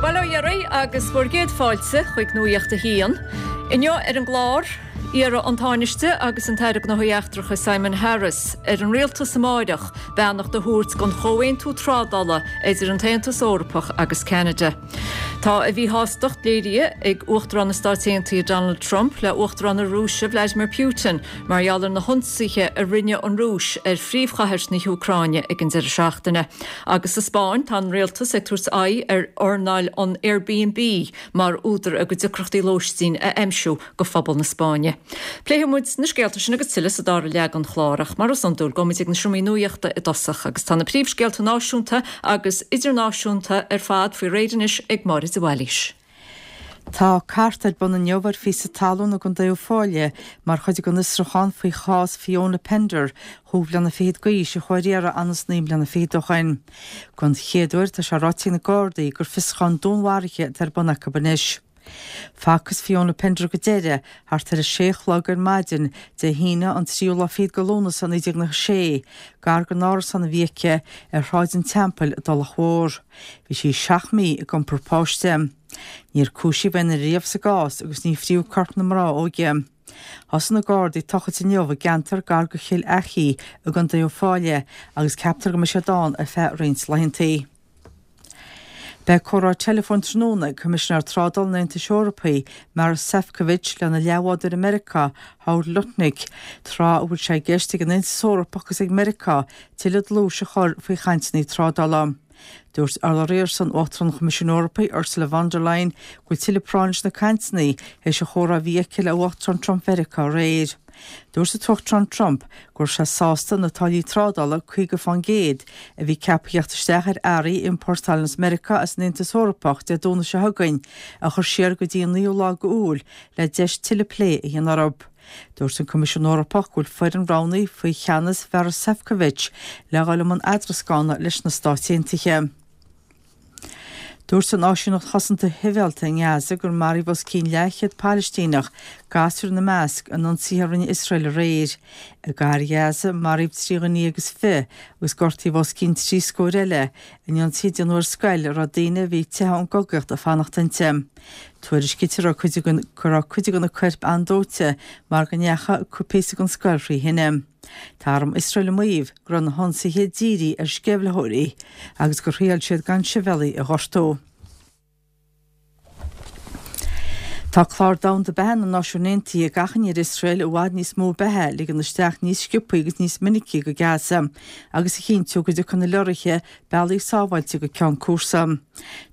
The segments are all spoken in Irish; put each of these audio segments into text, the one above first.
Bail ó Dhia oraibh agus bhur gcéad fáilte chuig Nuacht a hAon. Inniu ar an gclár, iarrfaidh an Tánaiste agus an tAire Gnóthaí Eachtracha Simon Harris ar an Rialtas amáireach beannacht a thabhairt don chomhaontú trádála idir an tAontas Eorpach agus Ceanada. Tá a mhíshástacht léirithe ag Uachtarán na Stáit Aontaithe Donald Trump le Uachtarán na Rúise Vladimir Putin mar gheall ar na hionsaithe a rinne an Rúis ar phríomhchathair na hÚcráine ag an deireadh seachtaine. Agus sa Spáinn, tá an rialtas ag tabhairt aghaidh ar earnáil an Airbnb mar údar a gcuid deacrachtaí lóistín a aimsiú do phobal na Spáinne. Pléifidh muid na scéalta sin agus tuilleadh sa dara leath den chlár, ach mar is iondúil, gabhfaidh muid ag na seomraí nuachta i dtosach, agus tá na príomhscéalta náisiúnta agus idirnáisiúnta ar fad faoi réir anois ag Máire de Bhailís. Tá cart ar bun inniu ar phíosa talún i gContae Uíbh Fhailí mar chuid den fhiosrúchán faoi chás Fiona Pender, chúig bliana fichead d'aois, a chuaigh ar iarraidh anonn is 9 mbliana fichead ó shoin. Don chéad uair tá sé ráite ag na Gardaí gur fiosrúchán dúnmharaithe atá ar bun acu anois. Facthas Fiona Pender go deireadh thart ar a sé a chlog ar maidin Dé hAoine an tríú lá fichead de Lúnasa 1996, gar don árasán a bhí aici ar Shráid an Teampaill i dTulach Mhór. Bhí sí seacht mí ag iompar páiste. Níor cúisíodh aon duine riamh sa gcás agus ní fríodh corp na mná óige. Thosaigh na Gardaí ag tochailt inniu i gceantar gar do Chill Achaidh i gContae Uíbh Fhailí agus ceaptar go mbeidh siad ann ar feadh roinnt laethantaí. Beidh comhrá teileafóin tráthnóna ag Coimisinéir Trádála an Aontais Eorpaigh, Maros Sefcovic, lena leathbhádóir i Meiriceá, Howard Lutnick, tráth a bhfuil sé i gceist ag an Aontas Eorpach agus ag Meiriceá tuilleadh dlúis a chur faoi chainteanna trádála. Dúirt urlabhraí ar son Uachtarán an Choimisiúin Eorpaigh, Ursula von der Leyen, go bhfuil tuilleadh práinne leis na cainteanna théis an chomhrá a bhí aici le Uachtarán Trump Mheiriceá aréir. Dúirt an tUachtarán Trump go raibh sé sásta na táillí trádála 50% a bhí ceaptha theacht isteach ar earraí a iompórtálann as Meiriceá as an Aontas Eorpach Dé Domhnaigh seo chugainn a chur siar go dtí an 9ú lá d'Iúil le deis tuilleadh plé a dhéanamh orthu. Dúirt an Coimisiún Eorpach go bhfuil foireann roghnaithe faoi cheannas Mharos Sefcovic le dhul i mbun eadrascána leis na Stáit Aontaithe. Dúirt an Áisíneacht Chosanta Shibhialta i nGaza gur maraíodh os cionn leathchéad Palaistíneach, gasúir ina measc, in ionsaithe a rinne Iosrael aréir. I gcathair Ghaza, maraíodh 23 dhuine agus gortaíodh os cionn trí scór eile in ionsaí a déanadh ar scoil a raibh daoine a bhí ag teitheadh ón gcogaíocht ag fanacht inti. Tuairiscítear go raibh cuid de na coirp an-dóite mar go ndeachaigh píosa den scoil thrí thine. Tá arm Iosrael ag maíomh go raibh na hionsaithe dírithe ar sceimhlitheoirí agus gur thriail siad gan sibhialaigh a ghortú. Tá Clár Domhanda Beatha na Náisiún Aontaithe ag achainí ar Iosrael i bhfad níos mó beatha a ligean isteach níos sciobthaí agus níos minicí go Gaza agus a chinntiú go dtiocfaidh na leoraithe bealaí sábháilte go ceann cúrsa.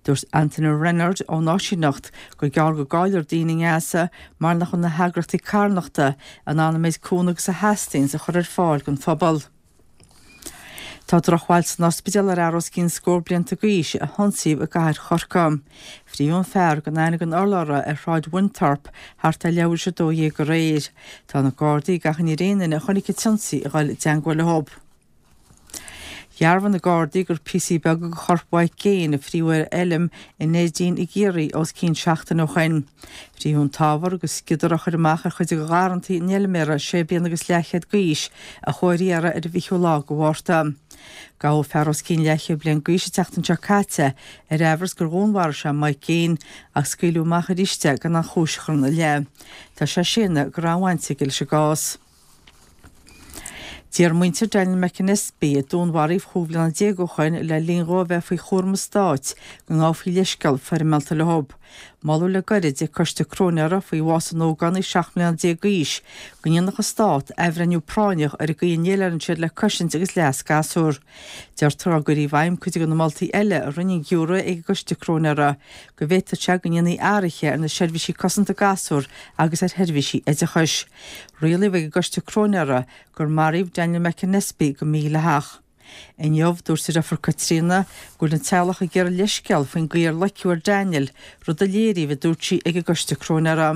Dúirt Anthony Rennard ón áisíneacht gur gearr go gcaillfear daoine i nGaza mar nach bhfuil na heagraíochtaí carthanachta in ann an méid cúnamh agus a theastaíonns a chur ar fáil don phobal. Tá drochbhail san ospidéal ar fhear os cionn scór blianta d'aois a hionsaíodh i gcathair Chorcaí. Fríodh an fear gan aithne gan urlabhra ar Shráid Winthorpe thart ar leathuair tar éis 12 aréir. Tá na Gardaí ag achainí ar aon duine a chonaic an t-ionsaí a dhul i dteangmháil leo. Dhearbhaigh na Gardaí gur píosaí beaga de chorp Mhaidhc Gaine a fríodh ar fheilm i Neidín i gCiarraí os cionn seachtaine ó shoin. Fríodh an t-ábhar agus sciodar á chur amach ar chuid de gharrantaí an fheilméara sé bliana agus leathchéad d'aois a chuaigh ar iarraidh ar an bhfichiú lá de Mhárta. Gabhadh fear os cionn leathchéad bliain d'aois an tseachtain seo caite ar aimhreas gur dhúnmharaigh sé Mike Gaine ach scaoileadh amach arís é gan aon chúis a chur ina leith. Tá sé á séanadh go raibh aon bhaint aige leis an gcás. D'iarr muintir Daniel McAnespie, a dúnmharaíodh chúig bhliana déag ó shoin le linn dhó a bheith faoi chúram an stáit, go ngabhfaí leithscéal foirmeálta leo. Moladh le gairid ag coiste cróinéara faoi bhás an ógánaigh 17 mbliana d'aois go ndéanfadh an stát athbhreithniú práinneach ar an gcaoi a ndéileálann siad le cosaint agus leas gasúr. Deirtear dá gcuirfí i bhfeidhm cuid de na moltaí eile a rinne an giúiré ag an gcoiste cróinéara, go bhféadfadh sé go ndéanfaí athruithe ar na seirbhísí cosanta gasúr agus ar sheirbhísí oideachais. Rialaíodh ag an gcoiste cróinéara gur maraíodh Daniel McAnespie go mídhleathach. Inniu, dúirt a dheirfiúr Caitríona go bhfuil an teaghlach ag iarraidh leithscéal faoin gcaoi ar loiceadh ar Daniel, rud a léiríodh, a dúirt sí, ag an gcoiste cróinéara.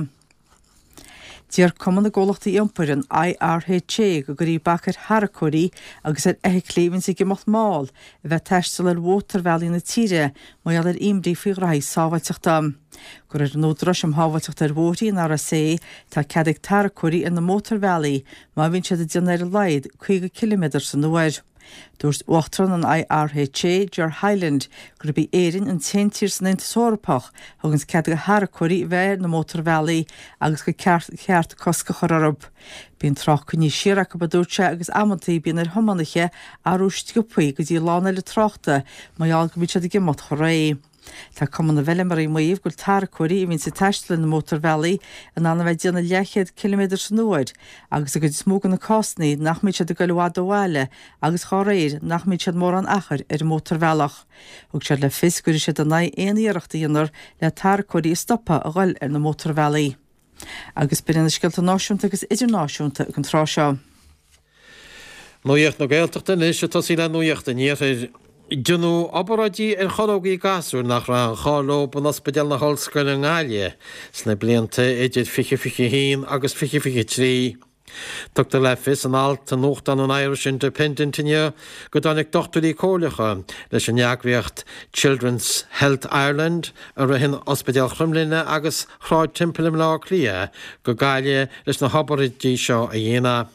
D'iarr Cumann na gComhlachtaí Iompair, an IRHA, go gcuirfí bac ar tharracóirí agus ar fheithiclí a bhíonns ag imeacht mall a bheith ag taisteal ar mhótarbhealaí na tíre mar gheall ar imní faoi ghraithí sábháilteachta. De réir an Údaráis um Shábháilteacht ar Bhóithre, an RSA, tá cead ag tarracóirí ar na mótarbhealaí má bhíonn siad ag déanamh ar a laghad 50 ciliméadar san uair. Dúirt Uachtarán an IRHA, Ger Hyland, gurb í Éirinn an t-aon tír san Aontas Eorpach a thuganns cead do tharracóirí a bheith ar na mótarbhealaí agus gur ceart cosc a chur orthu. Bíonn trácht coinnithe siar acu, a dúirt sé, agus amantaí bíonn ar thiománaithe athrú sciobthaí go dtí lána eile tráchta mar gheall go mbíonn siad ag imeacht chomh réidh. Tá Cumann na bhFeilméaraí ag maíomh go bhfuil tarracóirí a bhíonns ag taisteal ar na mótarbhealaí in ann a bheith ag déanamh leathchéad ciliméadar san uair agus i gcuid is mó de na cásanna nach mbíonn siad ag goil i bhfad ó bhaile agus dhá réir nach mbíonn siad mórán achair ar an mótarbhealach. Thug siad le fios go gcuirfidh siad in aghaidh aon iarracht a dhéanfar le tarracóirí a stopadh a ghoil ar na mótarbhealaí. Agus b'in iad na scéalta náisiúnta agus idirnáisiúnta ag an tráth seo. Nuacht na Gaeltachta anois ag tosaí le Nuacht an Iarthair. Deineadh obráidí ar chorrógaí gasúir nach raibh aon chall leo in Ospidéal na hOllscoile i nGaillimh sna blianta idir 2021 agus 2023. Tugtar le fios in alt i nuachtán an Irish Independent inniu go dtáinig dochtúirí comhairleacha leis an eagraíocht Children's Health Ireland, a ritheann Ospidéal Chromghlinne agus Shráid Temple i mBleá Cliath, go Gaillimh leis na hobráidí seo a dhéanamh.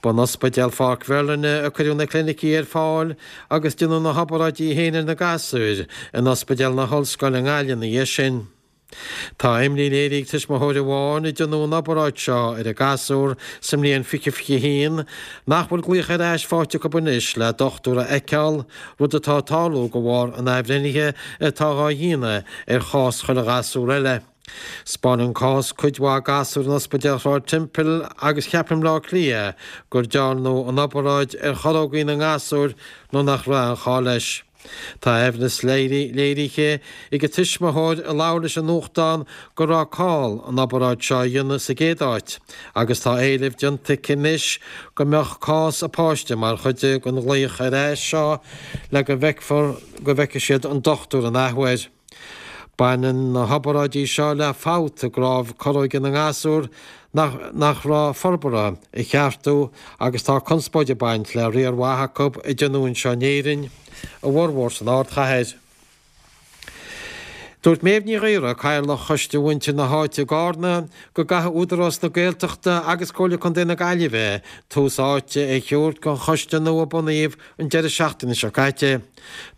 Ba in Ospidéal Pháirc Mherlin a cuireadh na clinicí ar fáil agus deineadh na hobráidí féin ar na gasúir in Ospidéal na hOllscoile i nGaillimh ina dhiaidh sin. Tá imní léirithe ag tuismitheoir amháin a deineadh an obráid seo ar a gasúr sa mbliain 2021 nach bhfuil glaoch ar ais faighte acu anois le dochtúir a fheiceáil, rud atá ag tarlú de bharr an athbhreithnithe atá dhá dhéanamh ar chás chuile ghasúr eile. 'Spáineann cás cuid mhaith gasúr in Ospidéal Shráid Temple agus Cheapach i mBleá Cliath gur dearnadh an obráid ar chorrógaí na ngasúr nuair nach raibh aon chall leis. Tá aimhleas léirithe ag an tuismitheoir a labhair leis an nuachtán go raibh call an obráid seo a dhéanamh sa gcéad áit agus tá éileamh déanta aici anois go mbeadh cás a páiste mar chuid den ghlaoch ar ais seo le go bhfeicfear go bhfeicfidh siad an dochtúir an athuair. Baineann na hobráidí seo le fabht i gcnámh corróige na ngasúr nach raibh forbartha a cheartú agus tá conspóid ag baint le riar mhaith acu a deineadh anseo in Éirinn, a bhformhór san ardchathair. Dúirt Méabh Ní Ghaora, Cathaoirleach Choiste Mhuintir na hÁite i gCarna, go gcaithfidh Údarás na Gaeltachta agus Comhairle Contae na Gaillimhe tús áite a thabhairt don choiste nua a bunaíodh an deireadh seachtaine seo caite.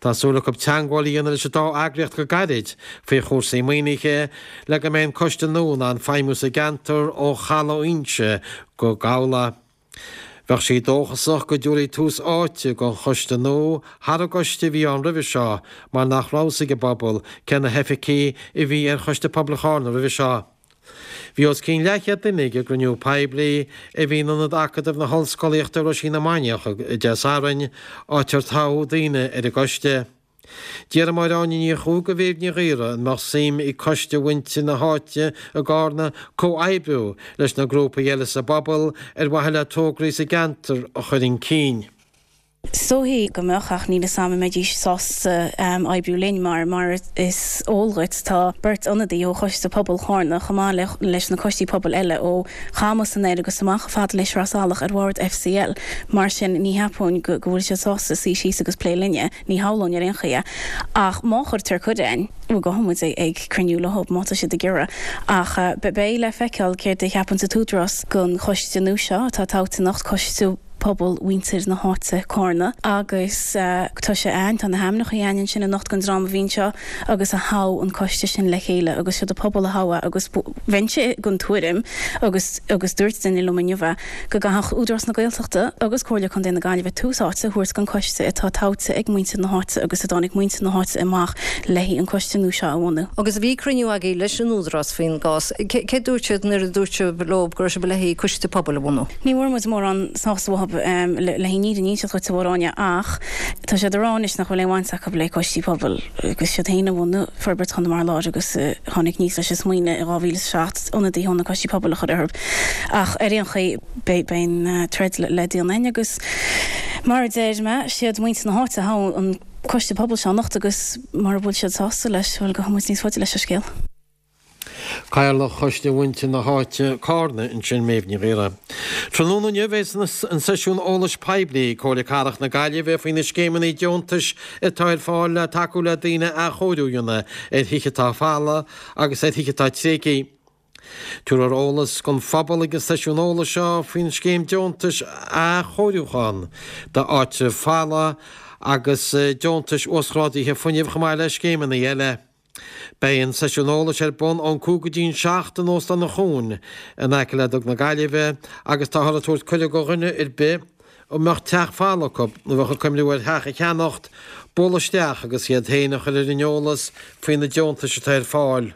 Tá súil acu teagmháil a dhéanamh leis an dá eagraíocht go gairid faoi chúrsaí maoinithe le go mbeidh an coiste nua in ann feidhmiú sa gceantar ó Chaladh Fhuinse go Gabhla. Bheadh sí dóchasach go dtabharfaí tús áite don choiste nua thar an gcoiste a bhí ann roimhe seo mar nach raibh fhios ag an bpobal cé na hoifigigh a bhí ar Choiste Pobail Charna roimhe seo. Bhí os cionn leathchéad duine ag an gcruinniú poiblí a bhí in Ionad Acadamh na hOllscolaíochta i Roisín na Mainiach Dé Sathairn, áit ar toghadh daoine ar an gcoiste. D'iarr Máire Áine Ní Chuaig de Mhéabh Ní Ghaora an mbeadh suim ag coiste mhuintir na háite i gCarna comhoibriú leis na grúpaí eile sa bpobal ar mhaithe le tograí sa gceantar a chur chun cinn. Is dóichí go mbeadh, ach níl 'fhios a'm an mbeidís sásta oibriú linn mar, mar is eol dhuit, tá beirt ionadaí ó Choiste Pobail Chárna chomh maith leis na coistí pobail eile ó Chamus anoir agus amach chomh fada le Sraith Salach ar bhord FCL. Mar sin, ní cheapfainn go bhfuil siad sásta suí síos agus plé linne, ní shamhlóinn ar aon chaoi é. Ach má chuirtear cuireadh a'inn, bhuel gabhfaidh muid ag cruinniú leo má tá siad ag iarraidh. Ach beidh le feiceáil céard a cheapann an tÚdarás den choiste nua seo atá toghta anocht, Coiste. Pobal mhuintir na háite, Cárna, agus tá sé a'ainn, tá na hainmneacha a'ainn ansin anocht den dream a bhí anseo agus a thogh an coiste sin le chéile agus siod an pobal a thogh é agus bheinnse den tuairim agus agus dúirt duine liom inniu é go gcaithfeadh Údarás na Gaeltachta agus Comhairle Contae na Gaillimhe tús áite a thabhairt don coiste atá toghte ag muintir na háite agus a dtáinig muintir na háite amach léi an coiste nua seo a bhunú. Agus bhí cruinniú agaibh leis an Údarás faoin gcás. Cé dúirt siad nuair a dúirt sibh leo go raibh sibh le haghaidh coiste pobail a bhunú? Ní bhfuair muid mórán sásamh uathu le an fhírinne a inseacht dhuit a Mháire Áine ach tá siad ag rá anois nach bhfuil aon bhaint acu le coistí pobail agus siad féin a bhunaigh Forbairt Chonamara Láir agus a tháinig aníos leis an smaoineamh i 2007 ionadaithe ó na coistí pobail a chur orthu. Ach ar aon chaoi beidh an troid le déanamh againn agus mar a deir mé, siad muintir na háite a thogh an coiste pobail seo anocht agus mura bhfuil siad sásta leis, bhuel gabhfaidh muid níos faide leis an scéal. Cathaoirleach Choiste Mhuintir na hÁite, Cárna, ansin Méabh Ní Ghaora. Tráthnóna inniu beidh an seisiún eolais poiblí ag Comhairle Cathrach na Gaillimhe faoi na scéimeanna deontais atá ar fáil le tacú le daoine athchóiriú a dhéanamh ar thithe atá folamh agus ar thithe atá tréigthe. Tabharfar eolas don phobal ag an seisiún eolais seo faoin scéim deontais athchóiriúcháin d'áitribh folamha agus deontais uasghrádaithe fuinnimh chomh maith le scéimeanna eile. Beidh an seisiún eolais ar bun ón 5 go dtí an 7 in Óstán an Chuain in aice le Dug na Gaillimhe agus táthar ag tabhairt cuireadh do dhuine ar bith a mbeadh teach folamh acu nó a bheadh ag cuimhniú ar theach a cheannacht bualadh isteach agus iad féin a chur ar an eolas faoi na deontais atá ar fáil.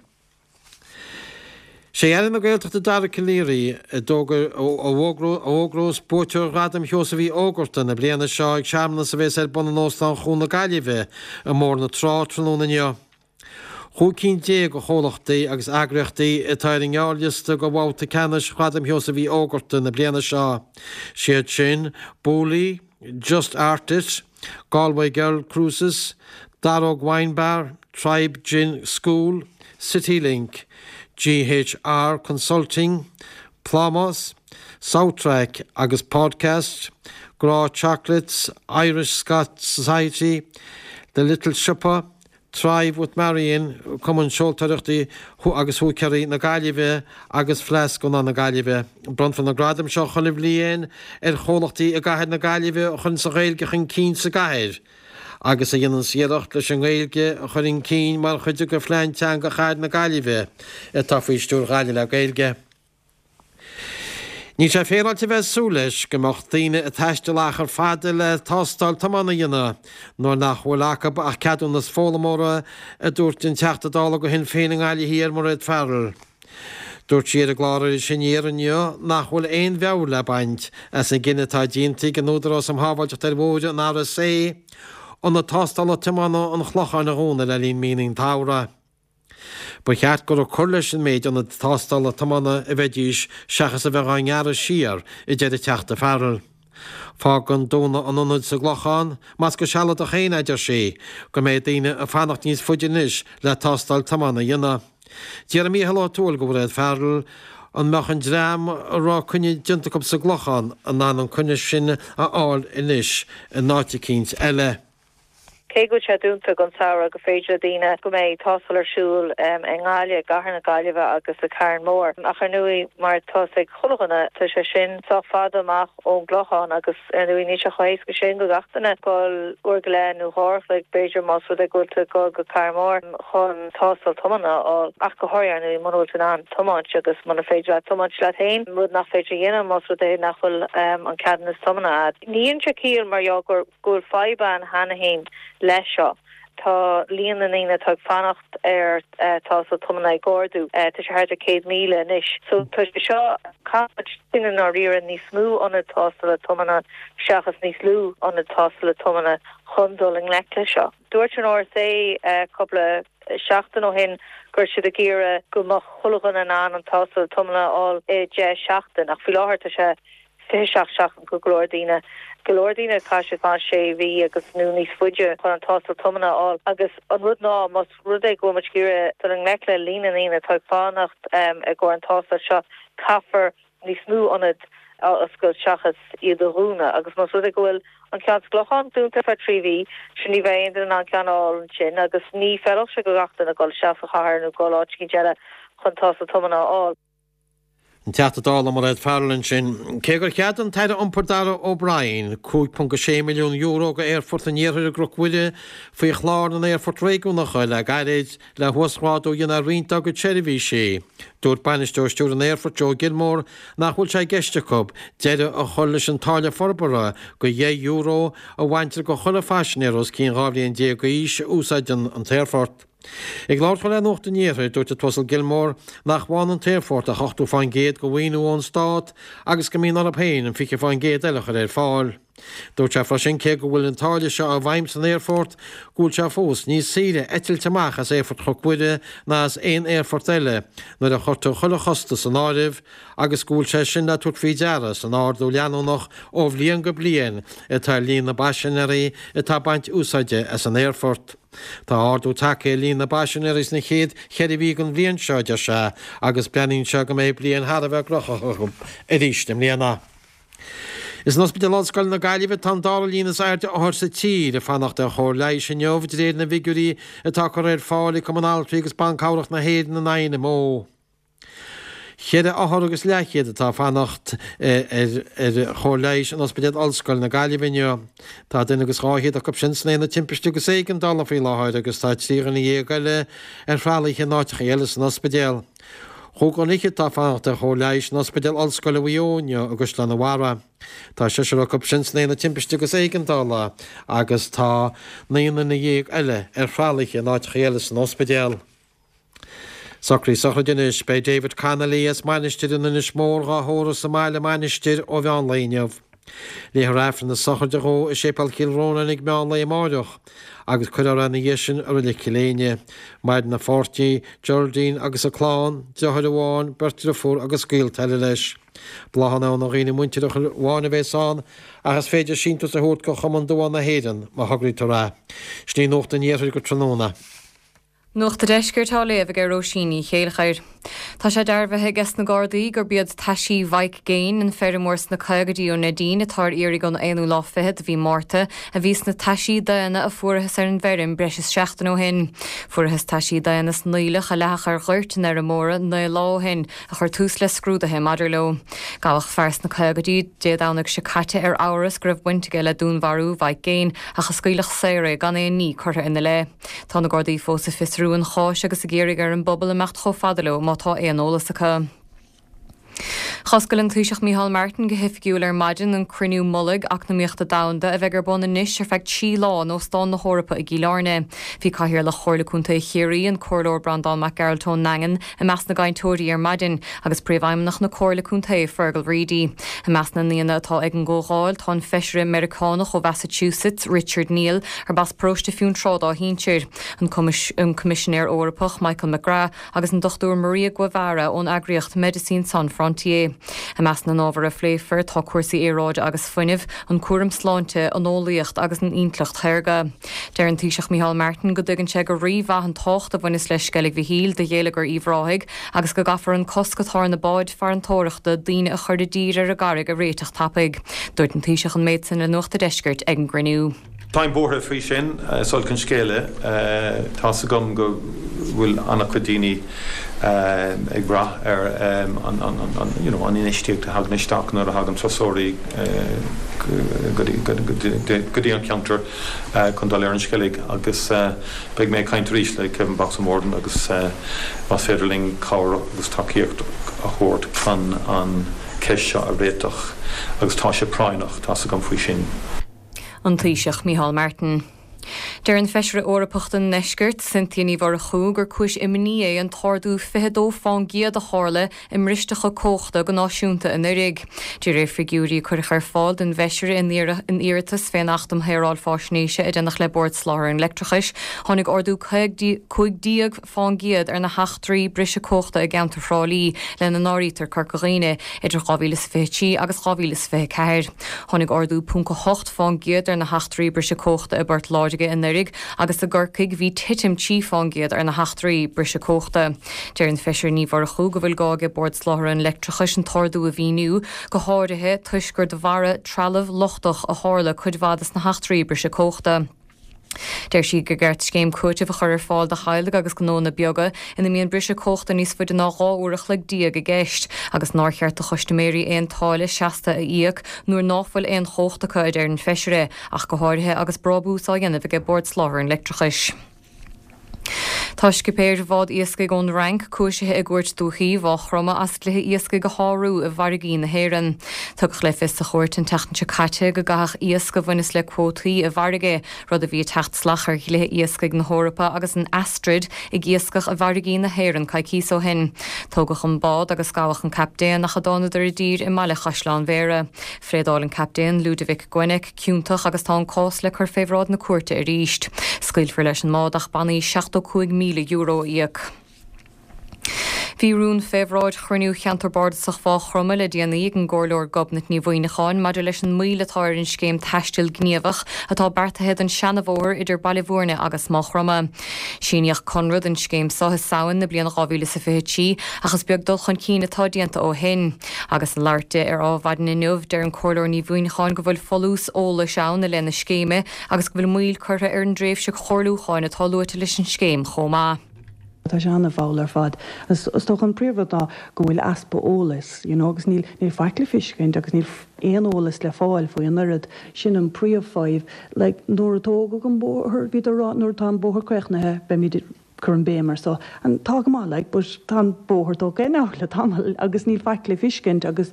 Sé Aire na Gaeltachta Dara Calleary a d'fhógair a fhógrós buaiteoir Ghradam Sheosaimh Uí Fhógarta na bliana seo ag searmanas a bhéas ar bun in Óstán Chuan na Gaillimhe i mBóthar na Trá tráthnóna inniu. 15 cinn de chomhlachtaí agus eagraíochtaí atá ar an ngearrliosta do bhabhta ceannais Ghradam Sheosaimh Uí Fhógarta na bliana seo. Siad sin, Booley, Just Art It, Galway Girl Cruises, Daróg Wine Bar, Tribe Gin School, Citylink, GHR Consulting, Plámás, South Track agus Podcast, Grá Chocolates, Irish Scott Society, The Little Siopa, Thrive with Marion, Cumann Seoltóireachta agus Húicéirí na Gaillimhe agus Fleadh Scannán na Gaillimhe. Bronnfar na gradaim seo chuile bhliain ar chomhlachtaí i gcathair na Gaillimhe a chuireanns an Ghaeilge chun cinn sa gcathair agus a dhéananns iarracht leis an nGaeilge a chur chun cinn mar chuid de Phlean Teanga Chathair na Gaillimhe atá faoi stiúir Ghaillimh le Gaeilge. Níl sé féaráilte a bheith ag súil leis go mbeadh daoine ag taisteal achar fada le tástáil tiomána a dhéanamh nuair nach bhfuil acu ach ceadúnas foghlaimeora, a dúirt an Teachta Dála do Shinn Féin i nGaillimh Thiar, Mairéad Farrell. Dúirt sí ar an gclár Iris Aniar inniu nach bhfuil aon mheabhair le baint as an gcinneadh atá déanta ag an Údarás um Shábháilteacht ar Bhóithre, an RSA, ionad tástála tiomána an Chlocháin a dhúnadh le linn míonna an tsamhraidh. Ba cheart gur ag cur leis an méid ionad tástála tiomána a bheidís seachas a bheith á ngearradh siar, a deir an Teachta Farrell. Fágann dúnadh an ionaid sa gClochán, más go sealadach féin a deir sí, go mbeidh daoine ag fanacht níos faide anois le tástáil tiomána a dhéanamh. D'fhiafraigh Mícheál Ó Tuathail de Mhairéad Farrell an mbeadh an dream a raibh coinne déanta acu sa gClochán in ann an coinne sin a fháil anois in áit eicínt eile. Cé go bhfuil sé dúnta don samhradh, gur féidir le daoine go mbeidh tástáil ar siúl i nGaillimh, i gcathair na Gaillimhe agus i Carn Mór. Ach ar ndóigh, mar atá fhios ag chuile dhuine, tá sé sin sách fada amach ón gClochán agus ar ndóigh níl sé chomh héasca sin do gach duine dul uair go leith nó dhá uair a chloig b'fhéidir más rud é go bhfuil tú ag dul go Carn Mór chun tástáil tiomána a fháil. Ach go háirithe ar ndóigh muna bhfuil tú in ann tiomáint agus muna féidir leat tiomáint leat féin, rud nach féidir a dhéanamh más rud é nach bhfuil an ceadúnas tiomána agat. Ní dhéanann sé ciall mar gheall gur. go bhfuil fadhb ann cheana féin leis seo. Tá líon na ndaoine atá ag fanacht ar tástáil tiomána ag ardú. Tá sé thart ar 100,000 anois. So tá sé seo, caithfidh muid i ndáiríre níos mó ionad tástála tiomána seachas níos lú ionad tástála tiomána chun dul i ngleic leis seo. Dúirt an RSA cúpla seachtain ó shin go raibh siad ag iarraidh go mbeadh chuile dhuine in ann an tástáil tiomána a fháil i 10 seachtain ach faoi láthair tá sé 27 seachtain go go leor daoine. Go leor daoine caithfidh siad fanacht sé mhí agus nó níos faide chun an tástáil tiomána a fháil agus an rud ná más rud é go bhfuil muid ag iarraidh dul i ngleic le líon na ndaoine atá ag fanacht i gcomhair an tástáil seo caithfear níos mó ionad a oscailt seachas iad a dhúnadh agus más rud é go bhfuil an ceann sa gClochán dúnta ar feadh 3 mhí sin ní bheidh aon duine in ann ceann a fháil ansin agus ní feilfeadh sé go gach duine dul isteach sa chathair nó dul áit eicínt eile chun tástáil tiomána a fháil. An Teachta Dála Mairéad Farrell ansin. Cé gur cheadaigh an tAire Iompair Darragh O'Brien €5.6 milliún do Aerfort an Iarthair i gCnoc Mhuire faoi chlár na n-aerfort réigiúnacha le gairid le huasghrádú a dhéanamh ar roinnt dá gcuid seirbhísí, dúirt Bainisteoir Stiúrtha an Aerfoirt Joe Gilmore nach bhfuil sé i gceist acu deireadh a chur leis an táille forbartha de €10 a bhaintear de chuile phaisinéir os cionn 12 bhliain d'aois a úsáideann an t-aerfort. Ag labhairt dó le Nuacht an Iarthair, dúirt an tUasal Gilmore nach bhfaigheann an t-aerfort ach 80% de mhaoiniú ón stát agus go mbíonn orthu féin an 20% eile a chur ar fáil. Dúirt sé freisin cé go bhfuil an táille seo i bhfeidhm san aerfort, go bhfuil sé fós níos saoire eitilt amach as Aerfort Chnoc Mhuire ná as aon aerfort eile nuair a chuirtear chuile chostas san áireamh agus go bhfuil sé sin le tabhairt faoi deara san ardú leanúnach ó bhliain go bliain atá ar líon na bpaisinéirí atá ag baint úsáide as an aerfort. Tá ardú tagtha ar líon na bpaisinéirí sna chéad cheithre mhí den bhliain seo, a deir sé, agus breathnaíonn sé go mbeidh bliain thar a bheith gnóthach acu arís i mbliana. Is in Ospidéal Ollscoile na Gaillimhe atá an dara líon is airde othar sa tír ag fanacht ar chóir leighis inniu, de réir na bhfigiúirí atá curtha ar fáil ag Cumann Altraí agus Ban Cabhrach na hÉireann, an INMO. Cheithre othar agus leathchéad atá ag fanacht ar chóir leighis in Ospidéal Ollscoile na Gaillimhe inniu. Tá duine agus 200 acu sin san Aonad Timpiste agus Éigeandála faoi láthair agus tá 13 dhuine eile ar thralaithe in áiteacha eile san ospidéal. Chúig dhuine fhichead atá ag fanacht ar chóir leighis in Ospidéal Ollscoile Mhaigh Eo inniu i gCaisleán an Bharraigh. Tá seisear acu sin san Aonad Timpiste agus Éigeandála agus tá 19 nduine eile ar thralaithe in áiteacha eile san ospidéal. Socruithe sochraide anois. Beidh David Connolly as Mainistir in Inis Mór dhá thórramh sa mbaile i Mainistir ó mheán lae inniu. Léifear Aifreann na sochraide dhó i Séipéal Chill Rónáin ag meán lae amáireach agus cuirfear é ina dhiaidh sin i Reilig Chill Éinne. Maireann a pháirtí, Geraldine agus a clann, deartháir amháin, beirt driofúr agus gaolta eile leis. Bláthanna ó na dhaoine muinteartha amháin a bhéas ann ach is féidir síntiús a thabhairt go Chumann Duán na hÉireann má thograítear é. Sin í Nuacht an Iarthair go tráthnóna. Nuacht a' Deiscirt á léamh ag Róisín Ní Chéilleachair. Tá sé dearbhaithe ages na Gardaí gurb iad taisí Mhaidhc Gaine, an feirmeoir sna caogaidí ó Neidín atá ar iarraidh ón aonú lá fichead de mhí Márta, a bhí sna taisí daonna a fuarathas ar an bhfeirm breis is seachtain ó shin. Fuarathas taisí daonna san aoileach a leathadh ar ghoirt an fheirmeora 9 lá ó shin, a chuir tús le scrúduithe maidir leo. Gabhadh fear sna caogaidí Dé Domhnaigh seo caite ar amhras go raibh baint aige le dúnmharú Mhaidhc Gaine ach a scaoileadh saor é gan aon ní curtha ina leith. Tá na Gardaí fós ag fiosrú an cháis agus ag iarraidh ar an bpobal imeacht chomh fada leo má tá aon eolas acu. Dh'oscail an Taoiseach Micheál Martin go hoifigiúil ar maidin an Cruinniú Mullaigh Eacnamaíochta Domhanda a bheidh ar bun anois ar feadh 3 lá in Óstán na hEorpa i gCill Airne. Bhí Cathaoirleach Chomhairle Contae Chiarraí, an Comhairleoir Breandán Mac Gearailt ón nDaingean, i measc na gcainteoirí ar maidin, agus Príomhfheidhmeannach na Comhairle Contae, Fergal Reidy. I measc na n-aíonna atá ag an gcomhdháil tá an Feisire Meiriceánach ó Mhassachusetts, Richard Neal, arb as paróiste Fionntrá dá shinsir, an Coimisinéir Eorpach Michael McGrath agus an Dr Maria Guevara ón eagraíocht Médecins Sans Frontières. I measc na n-ábhar a phléifear tá cúrsaí aeráide agus fuinnimh, an cúram sláinte, an eolaíocht agus an intleacht shaorga. Deir an Taoiseach Micheál Martin go dtuigeann sé go rímhaith an tábhacht a bhaineas le Sceilg Mhichíl do gheilleagar Uíbh Ráthaigh agus go gcaithfear an cosc atá ar na báid farantóireachta daoine a chur i dtír ar an gcarraig a réiteach tapaidh. Dúirt an Taoiseach an méid sin le Nuacht a' Deiscirt ag an gcruinniú. Táim buartha faoi sin. Is olc an scéal é. Tá's agam go bhfuil an-chuid daoine ag brath ar an you know an infheistíocht a thagann isteach nuair a thagann turasóirí go dtí an ceantar chun dul ar an Sceilg agus beidh mé ag caint arís le Kevin Boxer Morgan agus más féidir linn cabhair agus tacaíocht a thabhairt chun an cheist seo a réiteach agus tá sé práinneach, tá's agam faoi sin. An Taoiseach Micheál Martin. Deir an Feisire Eorpach don nDeisceart, Cynthia Ní Mhurchú, gur cúis imní é an t-ardú 22 fán gcéad a tharla i mbristeacha cumhachta go náisiúnta anuraidh. De réir figiúirí a cuireadh ar fáil don bhFeisire in iarratas fén Acht um Shaoráil Fáisnéise a déanadh le Bord Soláthair an Leictreachais, tháinig ardú 15 fán gcéad ar na heachtraí briseadh cumhachta i gceantar Thrá Lí, lena n-áirítear Corca Dhuibhne, idir 2023 agus 2024. Tháinig ardú 0.8 fán gcéad ar na heachtraí briseadh cumhachta i bPort Láirge anuraidh agus i gCorcaigh bhí titim 3 fán gcéad ar na heachtraí briseadh cumhachta. Deir an Feisire Ní Mhurchú go bhfuil gá aige Bord Soláthair an Leictreachais an t-ardú a mhíniú, go háirithe toisc gur de bharra trealamh lochtach a tharla cuid mhaith de na heachtraí briseadh cumhachta. Deir sí gur ceart scéim cúitimh a chur ar fáil do theaghlaigh agus gnónna beaga ina mbíonn briseadh cumhachta níos faide ná 12 uair a chloig i gceist agus nár cheart do chustaiméirí aon táille seasta a íoc nuair ná fuil aon chumhacht acu, a deir an Feisire, ach go háirithe agus brábús á dhéanamh aige Bord Soláthair an Leictreachais. Tá scipéir bhád iascaigh ón Fhrainc cúisithe i gCúirt Dúichí Mhaigh Chromtha as dlíthe iascaigh a shárú i bhfarraigí na hÉireann. Tugadh le fios sa chúirt an tseachtain seo caite go gcaitheadh iasc a bhaineas le cuótaí i bhfarraige, rud a bhí ag teacht salach ar dhlíthe iascaigh na hEorpa agus an Astrid ag iascach i bhfarraigí na hÉireann coicíos ó shin. Tógadh an bád agus gabhadh an captaen ach a dtánadar i dtír i mbaile Chaisleán Bhéarra. Phléadáil an captaen, Ludovic Guennec, ciontach agus tá an cás le cur fé bhráid na cúirte arís. Scaoilfear leis an mbád ach bannaí €75,000 a íoc. Bhí rún fé bhráid chruinniú Cheantar Bardasach Mhaigh Chromtha le déanaí ag an gComhairleoir Gobnait Ní Mhuimhneacháin maidir leis an moill atá ar an scéim taistil gníomhach atá beartaithe don seanabhóthar idir Baile Bhúirne agus Maigh Chromtha. Síníodh conradh don scéim so i Samhain na bliana 2023 ach is beag dul chun cinn atá déanta ó shin. Agus ag labhairt di ar Adhmhaidin inniu, deir an Comhairleoir Ní Mhuimhneacháin go bhfuil folús eolais ann i leith na scéime agus go bhfuil moill curtha ar an dtréimhse chomhairliúcháin atá luaite leis an scéim chomh maith. Tá sé an-mhall ar fad. Is dócha an príomhrud ná go bhfuil easpa eolais, you know, agus níl, níl faic le feiscint agus níl aon eolas le fáil faoi an oiread. Sin an príomhfhadhb. Like, nuair a tógadh an bóthar, bhíodar ag rá nuair atá an bóthar críochnaithe beimid ag cur an béim ar so. And tá go maith, like, but tá an bóthar tógtha now le tamall agus níl faic le feiscint agus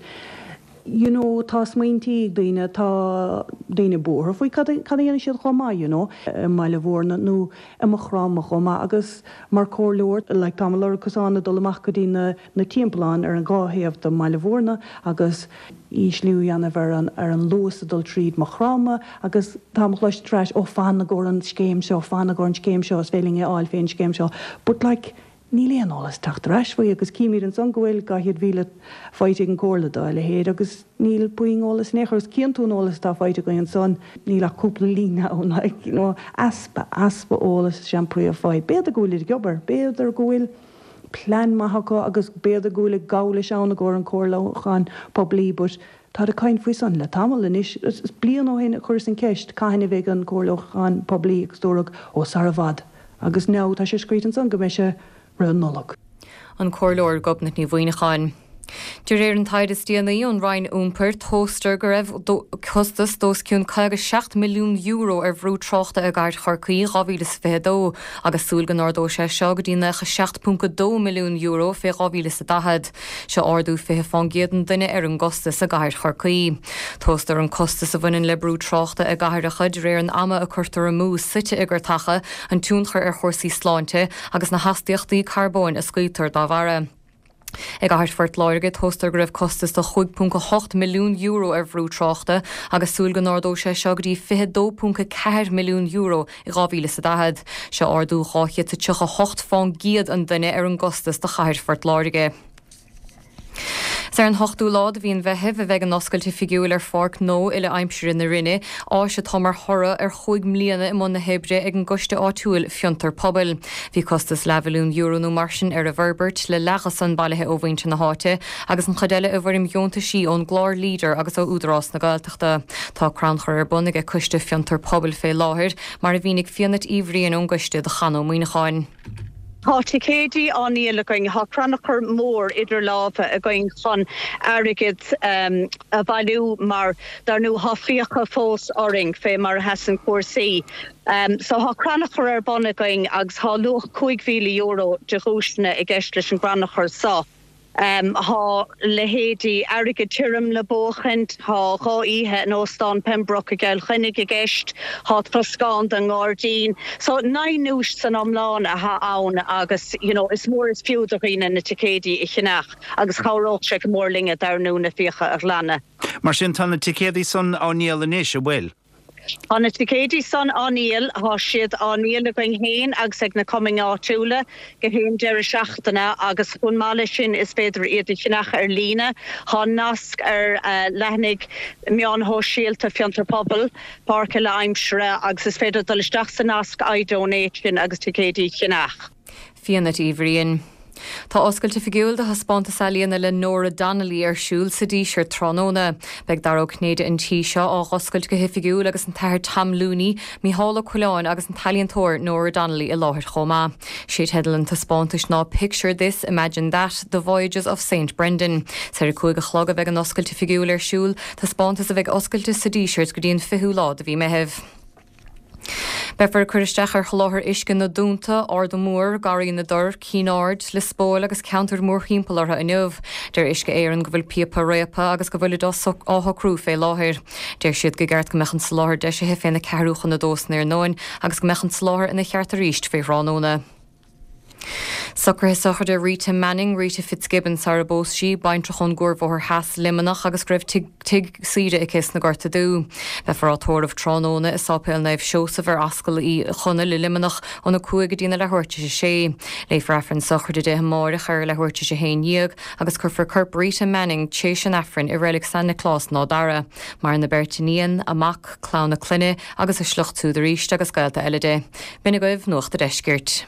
you know tá smaointí ag daoine, tá daoine buartha faoi cad a, cad a dhéanfaidh siad chomh maith, you know, i mBaile Mhúirne nó i Maigh Chromtha chomh maith agus mar comhairleoir, like táim ag lorg cosán ag dul amach go dtí na, na timpealláin ar an dhá thaobh de mBaile Mhúirne agus ísliú a dhéanamh ar an, ar an luas ag dul tríd Maigh Chromtha agus táim ag cloisint ar ais, oh fan i gcomhair an scéim seo, fan i gcomhair an scéim seo, is féidir linn é a fháil fén scéim seo but like Níl aon eolas ag teacht ar ais faoi agus címid ansan go bhfuil 200,000 faighte ag an Comhairle dá leithéid agus níl puinn eolas in aon chor agus cíonn tú an eolas atá faighte againn ansan, níl ach cúpla líne ann like you know easpa, easpa eolais is ea an príomh-fhadhb. B'fhéidir go bhfuilid ag obair, b'fhéidir go bhfuil plean maith acu agus b'fhéidir go bhfuil ag gabháil leis ann i gcomhair an comhairliúchán poiblí but táid ag caint faoi san le tamall anois. Is bliain ó shin a chuireas an ceist cathain a bheidh an comhairliúchán poiblí agus dúradh ó sar i bhfad. Agus now tá sé scríte ansan go mbeidh sé roimh an Nollaig. An Comhairleoir Gobnait Ní Mhuineacháin. De réir an taighde is déanaí ón Roinn Iompair, tomhaistear go raibh costas d'os cionn €57 milliún ar bhrú tráchta i gcathair Chorcaí 2022 agus súil go n-ardóidh sé seo go dtí €97.2 milliún fé 2040. Seo ardú 20 fán gcéad an duine ar an gcostas i gcathair Chorcaí. Tomhaistear an costas a bhaineann le brú tráchta i gcathracha de réir an ama a cuirtear amú suite i gcathracha, an tionchar ar chúrsaí sláinte agus na hastaíochtaí carbóin a scaoiltear dá bharra. I gcathair Phort Láirge, tomhaistear go raibh costas de €5.8 milliún ar bhrú tráchta agus súil go n-ardóidh sé seo go dtí €22.4 milliún i 2040. Seo ardú 238 fán gcéad an duine ar an gcostas do chathair Phort Láirge. Is ar an ochtú lá de mhí an Mheithimh a bheidh an oscailt oifigiúil ar Pháirc Ghnó Uile-Aimsire na Rinne, áis atá mar thoradh ar chúig mbliana i mbun na hoibre ag an gcoiste áitiúil Fiontar Pobail. Bhí costas leathmhilliún euro nó mar sin ar an bhforbairt, le leath de san bailithe ó mhuintir na háite agus an chuid eile i bhfoirm dheontaisí ón gclár Leader agus ó Údarás na Gaeltachta. Tá crannchur ar bun ag Coiste Fiontar Pobail fé láthair, mar a mhínigh Fiadhnait Uí Bhriain ón gcoiste do Chan Ó Muíneacháin. Tá ticéidí á ndíol againn, tá crannchur mór idir lámha againn chun airgead a bhailiú mar dar ndóigh tá fiacha fós orainn fé mar a sheasann cúrsaí. So tá crannchur ar bun againn agus tá luach €5,000 de dhuaiseanna i gceist leis an gcrannchur so. Tá leithéidí airgead tirim le buachaint, tá 2 oíche in Óstán Pembroke i gCill Chainnigh i gceist, tá troscán don ngairdín. So 9 nduais san iomlán atá ann agus you know is mór is fiú do dhaoine na ticéidí a cheannach agus chabhródh sé go mór linne dar ndóigh na fiacha a ghlanadh. Mar sin tá na ticéadaí san á ndíol anois, an bhfuil? Tá na ticéidí san á ndíol, tá siad á ndíol againn féin agus ag na cumainn áitiúla gach aon deireadh seachtaine agus chomh maith leis sin is féidir iad a cheannach ar líne. Tá nasc ar leathanaigh meáin shóisialta Fiontar Pobail, Páirc Uile Aimsire agus is féidir dul isteach sa nasc iDonate sin agus ticéidí a cheannach. Fiadhnait Uí Bhriain. Tá oscailt oifigiúil do thaispeántas ealaíona le Nora Donnelly ar siúl sa Díseart tráthnóna. Beidh Dara Ó Cinnéide an tí seo á dh'oscailt go hoifigiúil agus an tAthair Tom Looney, Mícheál Ó Coileáin agus an t-ealaíontóir Nora Donnelly i láthair chomh maith. Sé teideal an taispeántais ná Picture This, Imagine That, The Voyages of Saint Brendan. Is ar a 5 a chlog a bheidh an oscailt oifigiúil ar siúl, taispeántas a bheidh oscailte sa Díseart go dtí an 20ú lá de mhí Meithimh. Beifear ag cur isteach ar sholáthar uisce na Dúnta, Arda Mór, Garraí na dTor, Cinn Aird, Lios Póil agus ceantair mórthimpeall orthu inniu. Deir Uisce Éireann go bhfuil píopa réabtha agus go bhfuilid á shocrú fé láthair. Deir siad go gceart go mbeadh an soláthar deisithe féna ceathrú chun a dó san iarnóin agus go mbeadh an soláthar ina cheart arís fé thráthnóna. Socruithe sochraide Rita Manning, Rita Fitzgibbon sara bpós sí, baintreach ón gCuarbhóthar Theas, Luimneach agus go raibh tigh saoire aici sna Gorta Dubha. Beifear á tórramh tráthnóna i Sáipéal Naomh Seosamh ar Ascaill Uí Chonaill i Luimneach óna 5 go dtína leathuair tar éis a sé. Léifear Aifreann sochraide di amáireach ar a leathuair tar éis a 11 agus cuirfear corp Rita Manning t'éis an Aifrinn i Reilig San Nioclás in Áth Dara. Maireann a beirt iníon, a mac, clann a clainne agus a sliocht siúd arís agus gaolta eile di. B'in agaibh Nuacht a' Deiscirt.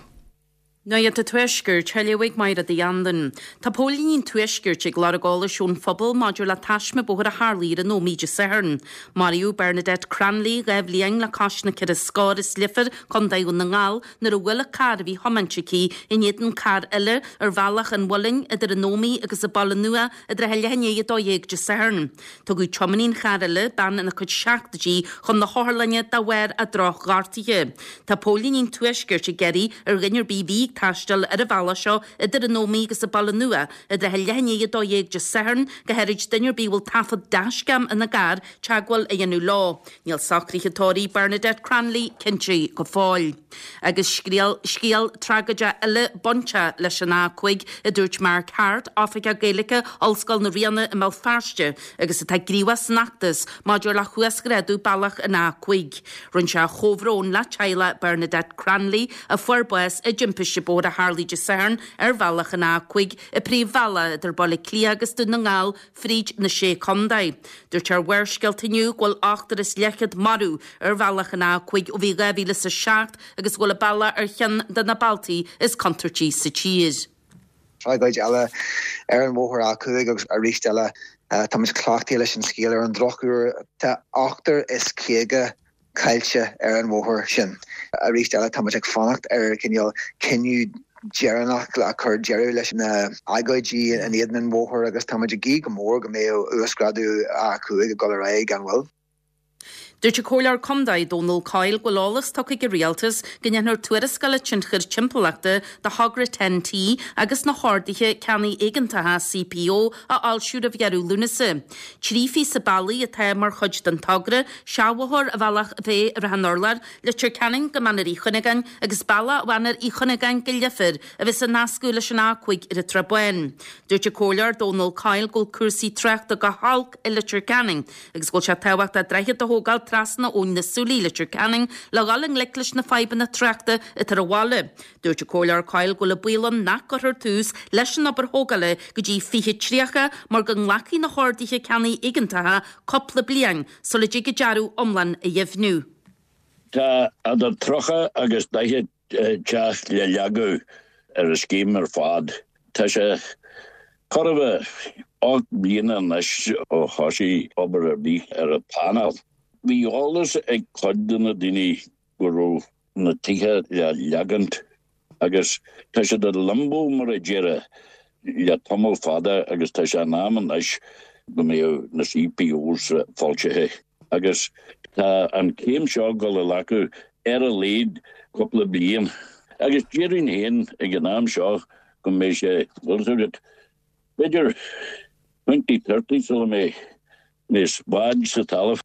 Nuacht an Tuaiscirt, á léamh ag Máire Uí Anluain. Tá póilíní an Tuaiscirt ag lorg eolais ón phobal maidir le taisme bóthair a tharlaigh ar an Ómaigh Dé Sathairn. Maraíodh Bernadette Cranley, 2 bhliain le cois na ceithre scór as Leifear, Co. Dhún na nGall, nuair a bhuail an carr a bhí á thiomáint aici in éadan carr eile ar Bhealach an Mhuilinn idir an Ómaigh agus an Baile Nua i dtrátha leath i ndiaidh 12 Dé Sathairn. Tugadh tiománaí an chairr eile, bean ina cuid seachtóidí, chun na hotharlainne de bharr a droch-ghortaithe. Tá póilíní an Tuaiscirt ag iarraidh ar dhuine ar bith a bhí ag taisteal ar an bhealach seo idir an Ómaigh agus an Baile Nua i dtrátha leath i ndiaidh 12 Dé Sathairn, go háirid duine ar bith a bhfuil taifead dashcam ina gcarr, teagmháil a dhéanamh leo. Níl socruithe tórraimh Bernadette Cranley cinnte go fóill. Agus scéal, scéal tragóideach eile bainteach leis an A5, a dúirt Mark Harte, Oifigeach Gaeilge Ollscoil na Ríona i mBéal Feirste agus atá gníomhach san fheachtas maidir le huasghrádú bealach an A5. Rinne sé a chomhbhrón le teaghlach Bernadette Cranley a fuair bás i dtimpiste bóthair a tharlaigh Dé Sathairn ar bhealach an A5, an príomhbhealach idir Baile Átha Cliath agus Dún na nGall, fríd na Sé Contae. Dúirt sé ar Bharrscéalta inniu go bhfuil ochtar is leathchéad marbh ar bhealach an A5 ó bhí 2007 agus go bhfuil an bealach ar cheann de na bealtaí is contúirtí sa tír. Tragóid eile ar an bhóthar A5 agus arís eile táimid cleachtaithe leis an scéal ar an drochuair. Tá ochtar is 50 caillte ar an bhóthar sin. Arís eile, tá muid ag fanacht ar cineál cinneadh deireanach le cur deireadh leis na agóidí in éadan an bhóthair agus tá muid ag guí go mór go mbeidh uasghrádú A5 ag dul ar aghaidh gan mhoill. Dúirt an Comhairleoir Contae Dónal Coyle go bhfuil eolas tugtha ag an Rialtas go ndéanfar tuarascáil tionchair timpeallachta do thogra TEN-T agus na horduithe ceannaigh éigeantacha, CPO, a fhoilsiú roimh dheireadh Lúnasa. 3 phíosa bealaigh atá mar chuid den togra, seachbhóthar ar Bhealach Féich Ráth an Urláir, Leitir Ceanainn go Mainéar Uí Chuinneagáin agus bealach ó Mhainéar Uí Chuinneagáin go Leifear a bheas á nascadh leis an A5 ar an tSrath Bán. Dúirt an Comhairleoir Dónal Coyle go bhfuil cúrsaí tráchta go holc i Leitir Ceanainn agus go bhfuil sé tábhachtach droichead a thógáil trasna Abhainn na Súilí i Leitir Ceanainn le dhul i ngleic leis na fadhbanna tráchta atá ar an bhaile. Dúirt an Comhairleoir Coyle go bhfuil an baol ann nach gcuirfear tús leis an obair thógála go dtí 2030 mar go nglacfaidh na horduithe ceannaigh éigeantacha cúpla bliain sula dtig an dearadh iomlán a dheimhniú. Tá idir 30 agus 40 teach le leagadh ar an scéim ar fad. Tá sé chóir a bheith 8 mbliana anois ó thosaigh obair ar bith ar an bpleanáil. Bhí eolas ag cuid de na daoine go raibh na tithe le leagaint agus tá siad i limbo mar a déarfá le tamall fada agus tá sé in am anois go mbeadh na CPOs foilsithe agus tá an chéim seo ag dul a ghlacadh ar a laghad cúpla bliain agus déarfainn féin ag an am seo go mbeidh sé, bhfuil fhios agat, b'fhéidir 2030 sula mbeidh níos báid sa talamh.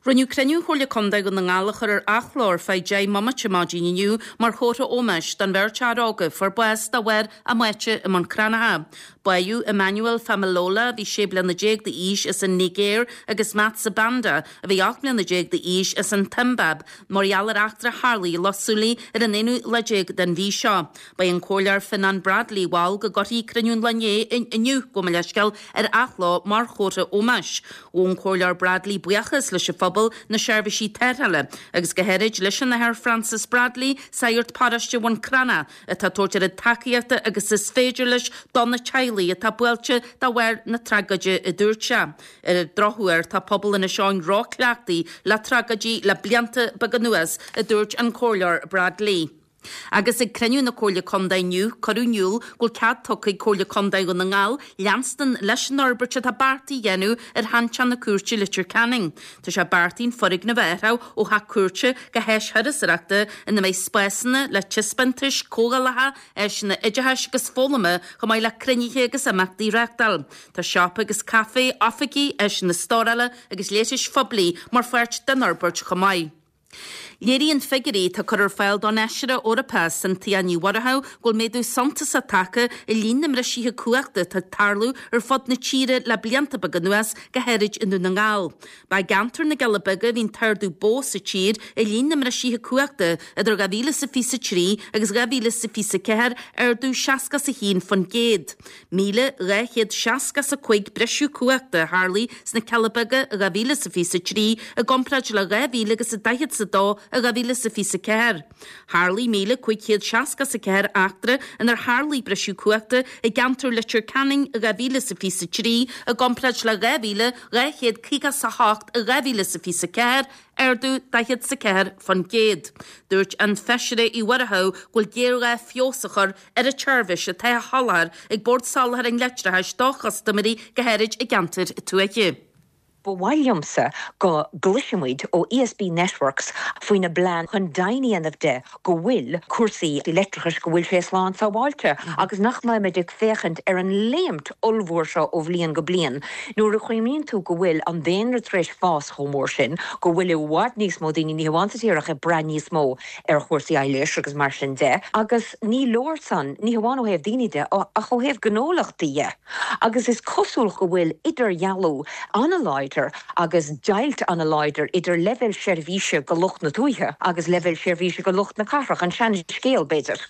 Rinneadh cruinniú Chomhairle Contae Dhún na nGall a chur ar athló ar feadh 10 mbomaite maidin inniu mar chomhartha ómóis don bheirt fhear óg a fuair bás de bharr a mbáite i mBun Cranncha. Báitheadh Emmanuel Femilola, a bhí 16 bliana d'aois as an Nigéir agus Matt Sibanda, a bhí 18 mbliana d'aois as an tSiombáib, mar gheall ar eachtra a tharlaigh i Loch Súilí ar an aonú lá déag den mhí seo. Ba é an Comhairleoir Fionnán Bradley a mhol go gcuirfí cruinniú an lae inné, inniu, gabh mo leithscéal, ar athló mar chomhartha ómóis. Ghabh an Comhairleoir Bradley buíochas leis an phobal, na seirbhísí tarrthála agus go háirid leis an Athair Francis Bradley, sagart paróiste Bhun Cranncha, atá ag tabhairt oiread tacaíochta agus is féidir leis do na teaghlaigh atá buailte de bharr na tragóide, a dúirt sé. Ar an drochuair, tá pobal Inis Eoghain ró-chleachtaithe le tragóidí le blianta beaga anuas, a dúirt an Comhairleoir Bradley. Agus ag cruinniú na Comhairle Contae inniu, cuireadh in iúl go bhfuil cead tugtha ag Comhairle Contae Dhún na nGall leanstan leis an fhorbairt atá beartaithe a dhéanamh ar sheanteach na cúirte i Leitir Ceanainn. Tá sé beartaithe an foirgneamh a athrú ó theach cúirte go háis thurasóireachta ina mbeidh spásanna le taispeántais, comhdhálacha, áiseanna oideachais agus foghlama chomh maith le cruinnithe agus imeachtaí a reáchtáil. Tá siopa agus caifé, oifigí, áiseanna stórála agus leithris phoiblí mar pháirt den fhorbairt chomh maith. Léiríonn figiúirí atá curtha ar fáil don Fheisire Eorpach Cynthia Ní Mhurchú go bhfuil méadú suntasach tagtha i líon na mbriseacha cumhachta atá ag tarlú ar fud na tíre le blianta beaga anuas, go háirid i nDún na nGall. Ba i gceantar na gCealla Beaga a bhí an t-ardú ba mhó sa tír i líon na mbriseacha cumhachta idir 2023 agus 2024, ardú 61%. 1,265 briseadh cumhachta a tharlaigh sna Cealla Beaga i 2023 i gcomparáid le 2,042 a. i 2024. Tharlaigh 1,564 eachtra inar tharlaigh briseadh cumhachta i gceantar Leitir Ceanainn i 2023 i gcomparáid le 2,258 i 2024, ardú 44%. Dúirt an Feisire Uí Mhurchú go bhfuil géarghá feabhas a chur ar an tseirbhís atá á sholáthar ag Bord Soláthair an Leictreachais do chustaiméirí, go háirid i gceantair tuaithe. Ba mhaith liomsa go gcloisfidh muid ó ESB Networks faoina bplean chun deimhin a dhéanamh de go bhfuil cúrsaí leictreachais, go bhfuil sé slán sábháilte agus nach mbeimid ag féachaint ar an léimt ollmhór seo ó bhliain go bliain. Nuair a chuimhníonn tú go bhfuil an daonra tar éis fás chomh mór sin, go bhfuil i bhfad níos mó daoine, ní hamháin sa tír ach ag brath níos mó ar chúrsaí aghléis agus mar sin de, agus ní leor san, ní hamháin ó thaobh daoine de ach ó thaobh gnólachtaí de. Agus is cosúil go bhfuil idirdhealú an-láidir agus deighilt an-láidir idir leibhéal seirbhíse go lucht na tuaithe agus leibhéal seirbhíse go lucht na cathrach, an sean-scéal, b'fhéidir.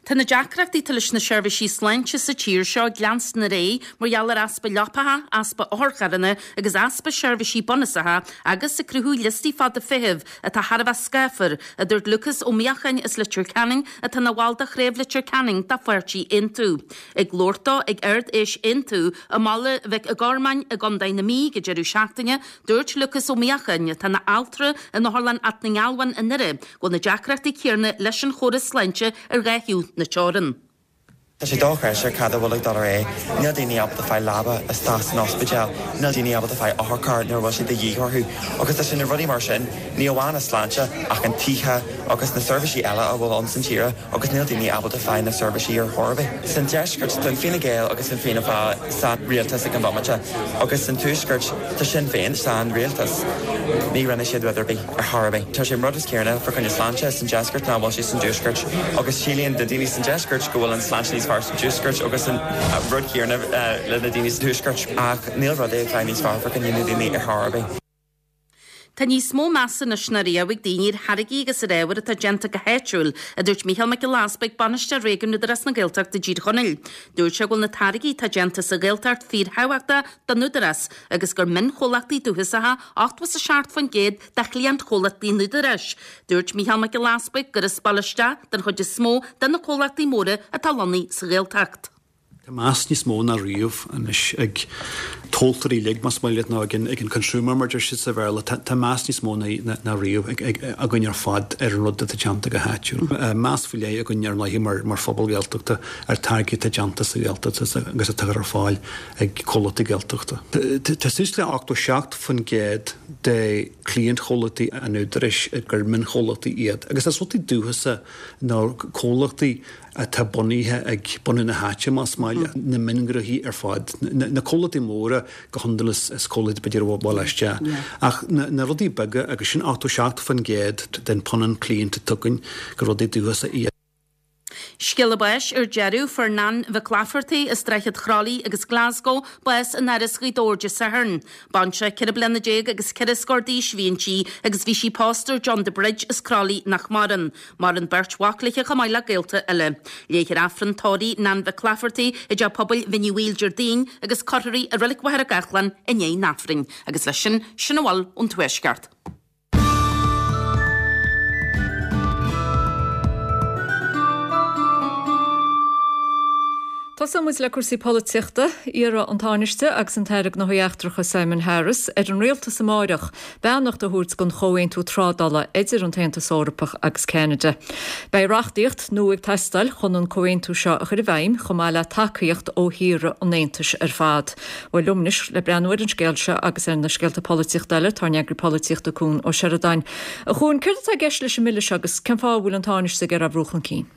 Tá na deacrachtaí atá leis na seirbhísí sláinte sa tír seo ag leanstan ar aghaidh mar gheall ar easpa leapacha, easpa otharcharranna agus easpa seirbhísí bunúsacha agus ag cruthú liostaí fada feithimh atá thar a bheith scáfar, a dúirt Lúcás Ó Míocháin as Leitir Ceanainn atá ina bhall de chraobh Leitir Ceanainn de pháirtí Aontú. Ag labhairt dó ag Ard-Fheis Aontú i mBaile Mhic Gormáin i gContae na Mí ag an deireadh seachtaine, dúirt Lúcás Ó Míocháin, atá ina altra in Otharlann Áth na nGealbhán i nDoire, go bhfuil na deacrachtaí céanna leis an chóras sláinte ar dhá thaobh na teorann. Tá sé dochreidte cad a bhfuil ag dul ar aghaidh. Níl daoine ábalta fáil leaba isteach san ospidéal, níl daoine ábalta fáil otharcharr nuair a bhfuil sé de dhíth orthu. Agus tá sé na rudaí mar sin, ní amháin an sláinte ach an tithe agus na seirbhísí eile a bhfuil ann san tíre agus níl daoine ábalta fáil na seirbhísí ar chor ar bith. San deisceart tá an Fine Gael agus an Fianna Fáil san rialtas ag an bhomaite agus san tuaisceart tá Sinn Féin san rialtas. Ní rinne siad rud ar bith ar chor ar bith. Tá sé an rud is céanna fá choinne sláinte san deisceart ná bhfuil sé san dtuaisceart agus síleann na daoine san deisceart go bhfuil an sláinte níos fearr san tuaisceart agus an rud céanna le na daoine san tuaisceart ach níl rud ag fáil níos fearr fá choinne na daoine ar chor ar bith. Tá níos mó measa anois ná riamh ag daoine ar tháirgí agus ar ábhair atá déanta go háitiúil, a dúirt Mícheál Mac Giolla Easpaig, Bainisteoir Réigiúin Údarás na Gaeltachta i dTír Chonaill. Dúirt sé go bhfuil na táirgí atá déanta sa Ghaeltacht fíorthábhachtach don Údarás agus gur mionchomhlachtaí dúchasacha 87% de chliantchomhlachtaí an Údaráis. Dúirt Mícheál Mac Giolla Easpaig gur as baile isteach den chuid is mó de na comhlachtaí móra atá lonnaithe sa Ghaeltacht. Tá meas níos mó ná riamh anois ag tomhaltóirí uilig, más maith leat, nó ag an consumer mar deir siad sa Bhéarla. Tá meas níos mó ná riamh againn ar fad ar an rud atá déanta go háitiúil. Meas faoi leith againn ar ndóighe mar phobal Gaeltachta ar táirgí atá déanta sa Ghaeltacht agus atá curtha ar fáil ag comhlachtaí Gaeltachta. Tá suas le 87% de chliantchomhlachtaí an Údaráis gur mionchomhlachtaí iad agus is rudaí dúchasacha nó comhlachtaí atá bunaithe ag bunadh na háite, más maith leat, na mionghnóthaí ar fad, na comhlachtaí móra go hiondúil is comhlachtaí b'fhéidir ó bhaile isteach, ach na rudaí beaga agus sin 87% den phunann cliant atá againn gur rudaí dúchasacha iad. Scéala báis ar deireadh, Fuair Nan Mhic Laifeartaigh as Droichead Chroithlí agus Glasgow bás in Áras Ghaoth Dobhair Dé Sathairn. Baintreach 14 bliana agus ceithre scór d'aois a bhí inti agus bhí sí pósta ar John de Bridge as Croithlí nach maireann. Maireann beirt mhac léi chomh maith le gaolta eile. Léifear Aifreann tórraimh Nan Mhic Laifeartaigh i dTeach Pobail Bhinn Uí Bhaoill Déardaoin agus cuirfear í i Reilig Mhachaire Gathlán i ndiaidh an Aifrinn. Agus leis sin, sin a bhfuil ón Tuaisceart. Tosóidh muid le cúrsaí polaitíochta. Iarrfaidh an Tánaiste agus an tAire Gnóthaí Eachtracha Simon Harris ar an Rialtas amáireach beannacht a thabhairt don chomhaontú trádála idir an tAontas Eorpach agus Ceanada. Beidh reachtaíocht nua ag teastáil chun an comhaontú seo a chur i bhfeidhm chomh maith le tacaíocht ó thíortha an Aontais ar fad. Bhuel liom anois le breathnú ar an scéal seo agus ar na scéalta polaitíochta eile, tá ár n-eagraí polaitíochta Cuan Ó Seireadáin. A Chuain, céard atá i gceist leis an mbille seo agus cén fáth a bhfuil an Tánaiste ag iarraidh é a bhrú chun cinn?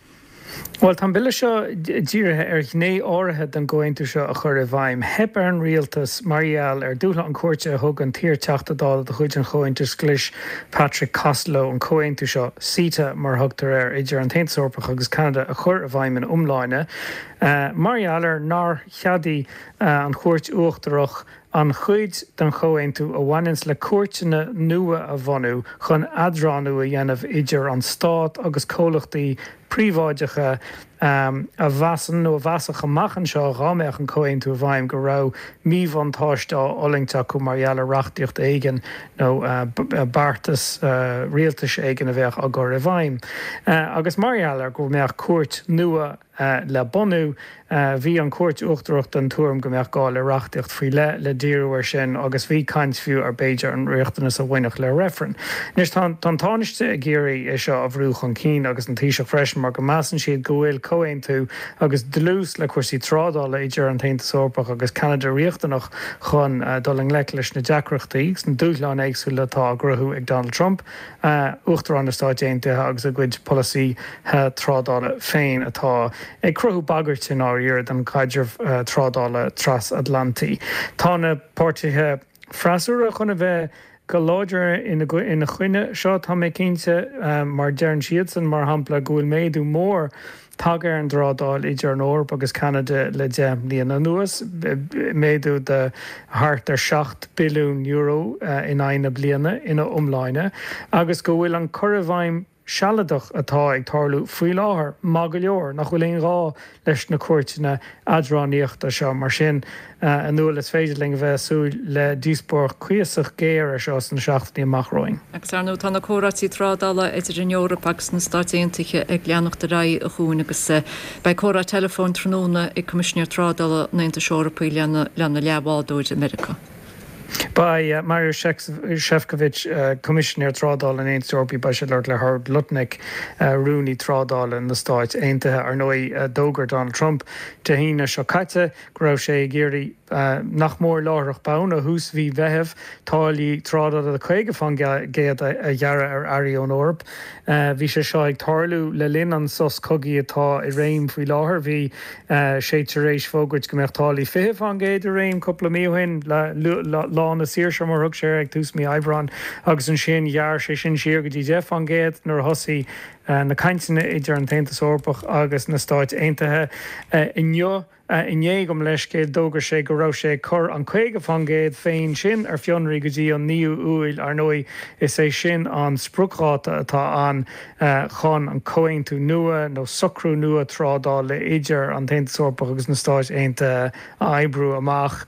Bhuel, tá an bille seo dírithe ar ghné áirithe den gcomhaontú seo a chur i bhfeidhm. Theip ar an rialtas mar gheall ar dúshlán cúirte a thug an t-iar-Teachta Dála de chuid an Chomhaontais Ghlais, Patrick Costello, an comhaontú seo, CETA mar a thugtar air, idir an tAontas Eorpach agus Ceanada a chur i bhfeidhm ina iomláine. Mar gheall ar nár cheadaigh an Chúirt Uachtarach an chuid den chomhaontú a bhaineanns le cúirteanna nua a bhunú chun eadránú a dhéanamh idir an stát agus comhlachtaí príobháideacha. A mheasann, nó a mheasfadh amach anseo dhá mbeadh an comhaontú i bhfeidhm, go raibh míbhuntáiste á fhulaingt acu mar gheall ar reachtaíocht éigin nó beartas rialtais éigin a bheadh á gcur i bhfeidhm. Agus mar gheall ar go mbeadh cúirt nua le bunú, bhí an Chúirt Uachtarach den tuairim go mbeadh gá le reachtaíocht faoi leith le díriú air sin agus bhí caint fiú ar b'fhéidir an riachtanas a bhainfeadh le reifreann. Anois tá an Tánaiste ag iarraidh é seo a bhrú chun cinn agus an Taoiseach freisin mar go measann siad go bhfuil comhaontú agus dlús le cúrsaí trádála idir an tAontas Eorpach agus Ceanada riachtanach chun dul i ngleic leis na deacrachtaí agus na dúshláin éagsúla atá á gcruthú ag Donald Trump. Uachtarán na Stáit Aontaithe agus a gcuid polasaithe trádála féin atá ag cruthú bagairt i ndáiríre don chaidreamh trádála trasatlantaí. Tá na páirtithe freasúra chun a bheith go láidir ina choinne seo, tá mé cinnte, mar deireann siadsan, mar shampla, go bhfuil méadú mór tagtha ar an dtrádáil idir an Eoraip agus Ceanada le 10 mbliana anuas, méadú de thart ar €7 billiún in aghaidh na bliana ina iomláine, agus go bhfuil an cur i bhfeidhm sealadach atá ag tarlú faoi láthair maith go leor, nach bhfuil aon ghá leis na cúirteanna eadránaíochta seo. Mar sin, a Nuala, is féidir linn a bheith ag súil le díospóireacht cuíosach géar ar seo sna seachtainí amach romhainn. Agus ar ndóigh tá na comhráití trádála idir an Eoraip agus na Stáit Aontaithe ag leanacht ar aghaidh a Chuain agus beidh comhrá teileafóin tráthnóna ag Coimisinéir Trádála an Aontais Eorpaigh lena leathbhádóir i Meiriceá. Beidh Maros Sefcovic, Coimisinéir Trádála an Aontais Eorpaigh, beidh sé ag labhairt le Howard Lutnick, Rúnaí Trádála na Stáit Aontaithe. Ar ndóigh, d'fhógair Donald Trump Dé hAoine seo caite go raibh sé ag iarraidh, nach mór láithreach bonn, ó thús mhí Mheithimh, táillí trádála de 50% a ghearradh ar earraí ón Eoraip. Bhí sé seo ag tarlú le linn an sos cogaidh atá i réim faoi láthair. Bhí sé tar éis fógairt go mbeadh táillí 20% i réim cúpla mí ó shin, Lá na Saoirse mar a thug sé air, ag tús mí Aibreáin, agus ansin ghearr sé sin siar go dtí 10% nuair a thosaigh na cainteanna idir an tAontas Eorpach agus na Stáit Aontaithe inniu. Inné, gabh mo leithscéal, d'fhógair sé go raibh sé ag cur an 50% féin sin ar fionraí go dtí an 9ú Iúil. Ar ndóigh, is é sin an spriocdháta atá ann chun an comhaontú nua nó socrú nua trádála idir an tAontas Eorpach agus na Stáit Aontaithe a oibriú amach.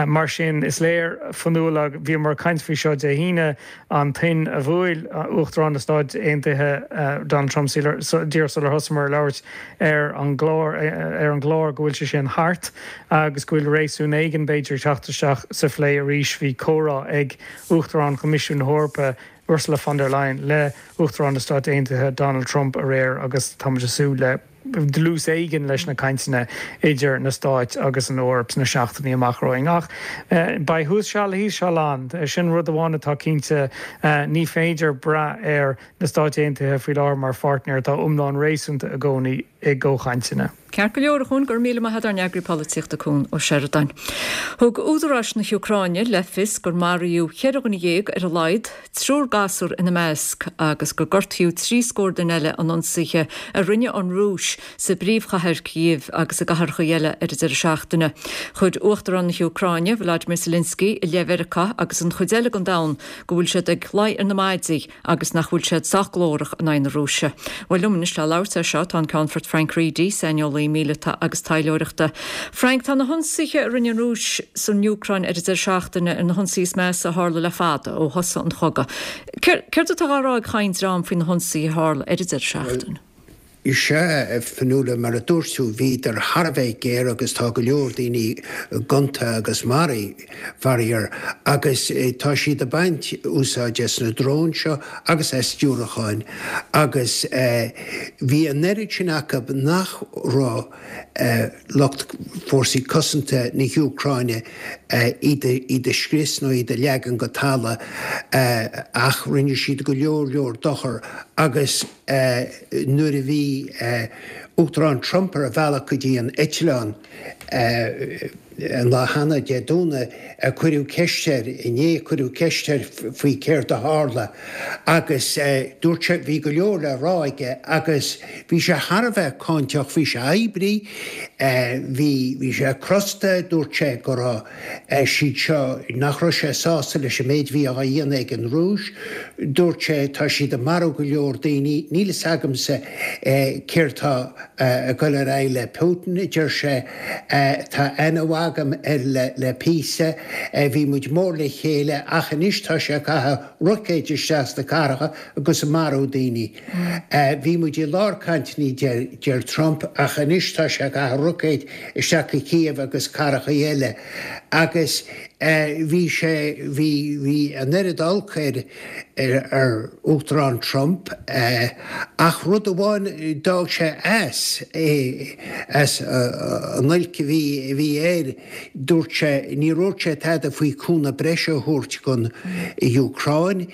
Mar sin, is léir, a Fhionnuala, bhíomar ag caint faoi seo Dé hAoine, an tuin a bhuail Uachtarán na Stáit Aontaithe Donald Trump díreach sular thosaíomar ag labhairt ar an gclár ar an gclár go bhfuil sé sin thart agus go bhfuil réasún éigin b'fhéidir ag teacht isteach sa phlé arís. Bhí comhrá ag Uachtarán Choimisiún na hEorpa Ursula von der Leyen le Uachtarán na Stáit Aontaithe Donald Trump aréir agus táimid ag súil le dlús éigin leis na cainteanna idir na Stáit agus an Eoraip sna seachtainí amach romhainn. Ach beidh thuas seal thíos seal ann. Sin rud amháin atá cinnte, ní féidir brath ar na Stáit Aontaithe faoi láthair mar pháirtnéir atá iomlán réasúnta i gcónaí i gcomhchainteanna. Ceart go leor, a Chuain, go raibh míle maith agat, ár n-eagraí polaitíochta Cuan Ó Seireadáin. Thug údaráis na hÚcráine le fios gur maraíodh 14 dhuine ar a laghad, triúr gasúr ina measc, agus gur gortaíodh trí scór duine eile in ionsaithe a rinne an Rúis sa bpríomhchathair Kyiv agus i gcathracha eile ar an deireadh seachtaine. Chuir Uachtarán na hÚcráine, Volodymyr Zelensky, i leith Mheiriceá agus an chuid eile den domhan go bhfuil siad ag luí ar na maidí agus nach bhfuil siad sách glórach in aghaidh na Rúise. Bhuel, liom anois le labhairt air seo tá an Ceannfort Frank Reidy, saineolaí míleata agus taidhleoireachta. Frank, tá na hionsaithe a rinne an Rúis san Úcráin ar an deireadh seachtaine ar na hionsaithe is measa a tharla le fada, ó thosaigh an chogadh. Céard atá á rá ag chaon dream faoi na hionsaithe a tharla ar an deireadh seachtaine? Is ea, a Fionnuala, mar a dúirt tú, bhíodar thar a bheith géar agus tá go leor daoine gonta agus maraithe, faraor, agus tá siad ag baint úsáid as na dróin seo agus as diúracáin agus bhí an oiread sin acu nach raibh lucht fórsaí cosanta na hÚcráine iad a scrios nó iad a leagan go talamh ach rinne siad go leor leor dochar agus nuair a bhí Uachtarán Trump ar a bhealach go dtí an eitleán. An lá cheana, Dé Domhnaigh, cuireadh ceist air, inné, cuireadh ceist air faoi céard a tharla agus dúirt sé, bhí go leor le rá aige agus bhí sé thar a bheith cáinteach, bhí sé oibrithe, bhí, bhí sé crosta, dúirt sé go raibh siad seo, nach raibh sé sásta leis an méid a bhí á dhéanamh ag an Rúis, dúirt sé tá siad ag marú go leor daoine, níl fhios agamsa céard tá ag dul ar aghaidh le Putin, a deir sé. Tá aithne mhaith agam air le píosa. Bhí muid mór le chéile ach anois tá sé ag caitheamh roicéid isteach sna cathracha agus ag marú daoine. Bhí muid i lár cainteanna, deir Trump, ach anois tá sé ag caitheamh roicéid isteach go Kiev agus cathracha eile. Agus bhí sé, bhí, bhí an oiread olc air. ar Uachtarán Trump ach rud amháin d'fhág sé as é, as an olc a bhí a bhí air, dúirt sé, níor dhúirt sé tada faoi cúnamh breise a thabhairt don Úcráin.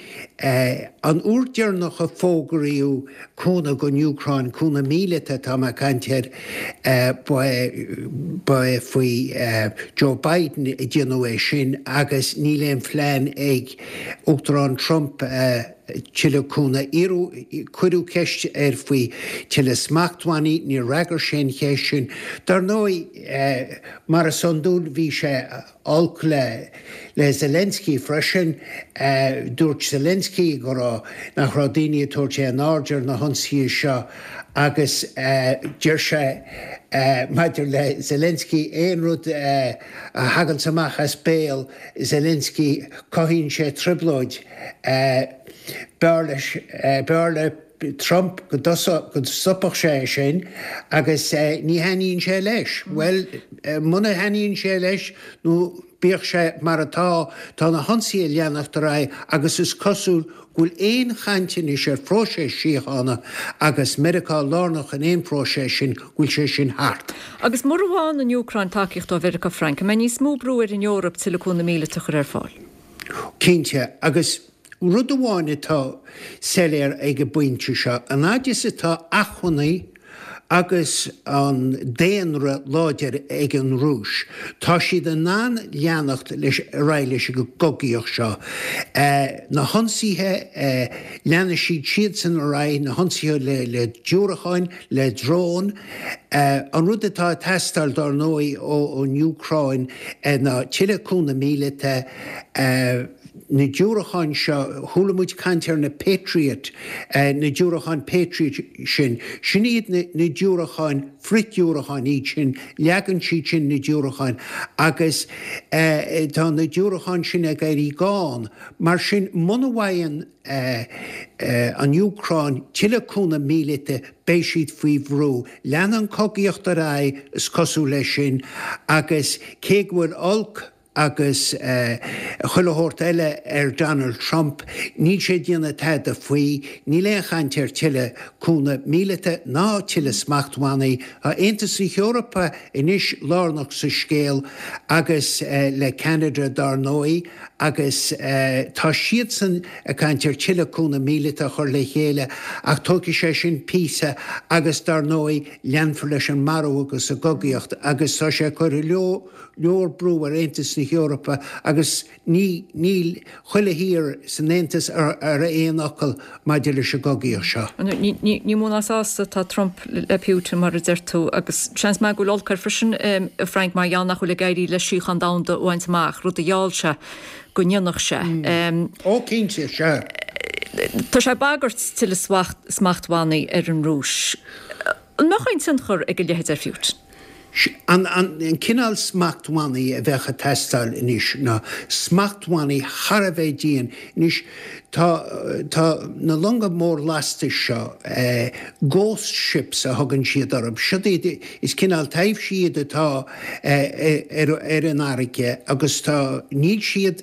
An uair deireanach a fógraíodh cúnamh don Úcráin, cúnamh míleata atá mé ag caint air, ba é faoi Joe Biden a déanadh é sin agus níl aon phlean ag Uachtarán Trump tuilleadh cúnamh. Iarradh, cuireadh ceist air faoi tuilleadh smachtbhannaí, níor fhreagair sé an cheist sin. Dar ndóigh, mar is iondúil, bhí sé olc le le Zelensky freisin. Dúirt Zelensky go raibh, nach raibh daoine ag tabhairt aon aird ar na hionsaithe seo agus deir sé maidir le Zelensky aon rud a thaganns amach as béal Zelensky cothaíonn sé trioblóid. B'fhearr leis, b'fhearr le Trump go stopfadh sé é sin agus ní thaitníonn sé leis. Bhuel, muna thaitníonn sé leis nó bíodh sé mar atá, tá na hionsaithe ag leanacht ar aghaidh agus is cosúil go bhfuil aon chaint anois ar phróiseas síochána agus Meiriceá lárnach in aon phróiseas sin, go bhfuil sé sin thart. Agus mura bhfaigheann an Úcráin tacaíocht ó Mheiriceá, Frank, an mbeidh níos mó brú ar an Eoraip tuilleadh cúnamh míleata a chur ar fáil? Cinnte, agus rud amháin atá soiléir ag an bpointe seo, an fhaid is atá acmhainní agus an daonra láidir ag an Rúis, tá siad in ann leanacht leis ar aghaidh leis an gcogaíocht seo. Na hionsaithe, leanfaidh siad siadsan ar aghaidh, na hionsaithe le diúracáin, le dróin. An rud atá ag teastáil, dár ndóigh, ón Úcráin ná tuilleadh cúnamh míleata. Na diúracáin seo, chuala muid caint ar na Patriot, na diúracáin Patriot sin. Sin iad na diúracáin, frith-diúracáin iad sin, leagann siad sin na diúracáin agus tá na diúracáin sin ag éirí gann. Mar sin, muna bhfaigheann an Úcráin tuilleadh cúnamh míleata, beidh siad faoi bhrú. Leanfaidh an chogaíocht ar aghaidh, is cosúil leis sin, agus cé go bhfuil olc agus chuile shórt eile ar Donald Trump, níl sé ag déanamh tada faoi. Níl aon chaint ar tuilleadh cúnamh míleata ná tuilleadh smachtbhannaí. Tá Aontas na hEorpa anois lárnach sa scéal agus le Ceanada dár ndóigh. agus tá siadsan ag caint ar tuilleadh cúnamh míleata a chur le chéile ach tógfaidh sé sin píosa agus dar ndóigh leanfar leis an marú agus an gcogaíocht agus tá sé ag cur go leor brú ar Aontas na hEorpa agus ní níl chuile thír san Aontas ar aon fhocal maidir leis an gcogaíocht seo. Ní mó ná sásta atá Trump le Putin, mar a deir tú, agus seans maith go bhfuil olc air freisin, a Frank, mar gheall nach bhfuil ag éirí leis síocháin domhanda a bhaint amach, rud a gheall sé go ndéanfadh sé. Ó, cinnte, sea. Tá sé ag bagairt tuilleadh smachtbhannaí ar an Rúis. An mbeadh aon tionchar ag a leithéid ar Phutin? An cineál smachtbhannaí a bheadh ag teastáil anois ná smachtbhannaí thar a bheith dian. Anois, tá, tá na longa mór lastais seo, ghost ships a thugann siad orthu, siod iad, is cineál taibhsí iad atá ar, ar an fharraige agus tá, níl siad,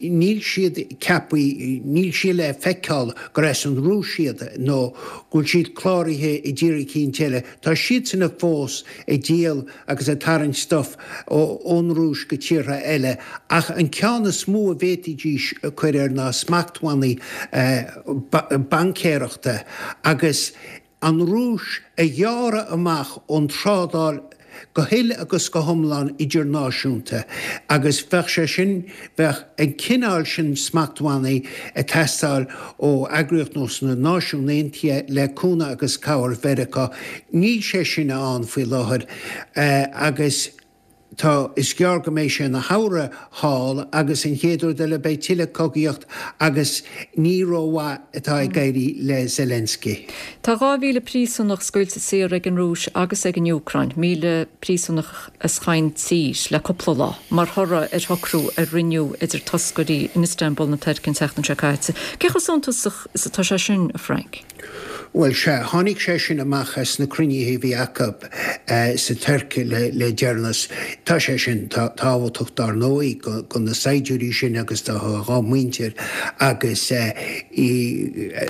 níl siad ceaptha, níl siad le feiceáil gur as an Rúis iad nó go bhfuil siad cláraithe i dtír eicínt eile. Tá siadsan fós ag díol agus ag tarraingt stuif ón Rúis go tíortha eile ach an ceann is mó a bhféadfaidís cur air ná smachtbhannaí baincéireachta agus an Rúis a ghearradh amach ón trádáil. go huile agus go hiomlán idirnáisiúnta agus bheadh sé sin, bheadh an cineál sin smachtbhannaí ag teastáil ó eagraíocht nós na Náisiún Aontaithe le cúnamh agus cabhair Mheiriceá. Níl sé sin ann faoi láthair agus. Tá, is gearr go mbeidh sé ina shamhradh thall agus an chéad rud eile beidh tuilleadh cogaíocht agus ní rómhaith atá ag éirí le Zelensky. Tá 2,000 príosúnach scaoilte saor ag an Rúis agus ag an Úcráin, 1,000 príosúnach as chaon tír, le cúpla lá, mar thoradh ar shocrú a rinneadh idir toscairí in Istanbul na Tuirce an tseachtain seo caite. Cé chomh suntasach is atá sé sin, a Frank? Bhuel, sea, tháinig sé sin amach as na cruinnithe a bhí acu sa Tuirc le deireanas. Tá sé sin tábhachtach, dár ndóigh, do na saighdiúirí sin agus dá muintir agus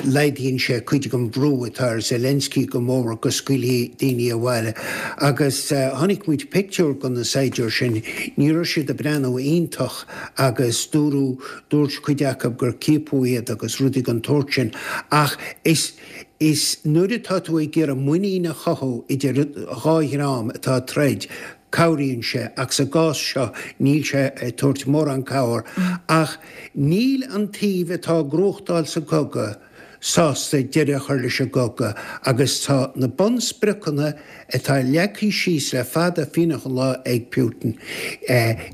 laghdaíonn sé cuid den bhrú atá ar Zelensky go mór go scaoilfí daoine abhaile. Agus chonaic muid pictiúr de na saighdiúir sin, ní raibh siad ag breathnú iontach agus dúradh Dúirt cuid acu gur ciapadh iad agus rudaí den tsórt sin ach is is nuair atá tú ag iarraidh muinín a chothú idir dhá dhream atá ag troid, cabhraíonn sé ach sa gcás seo níl sé ag tabhairt mórán cabhair ach níl an taobh atá ag gnóthachtáil sa gcogadh sásta deireadh a chur leis an gcogadh agus tá na bunspriocanna atá leagtha síos le fada fianach an lá ag Putin,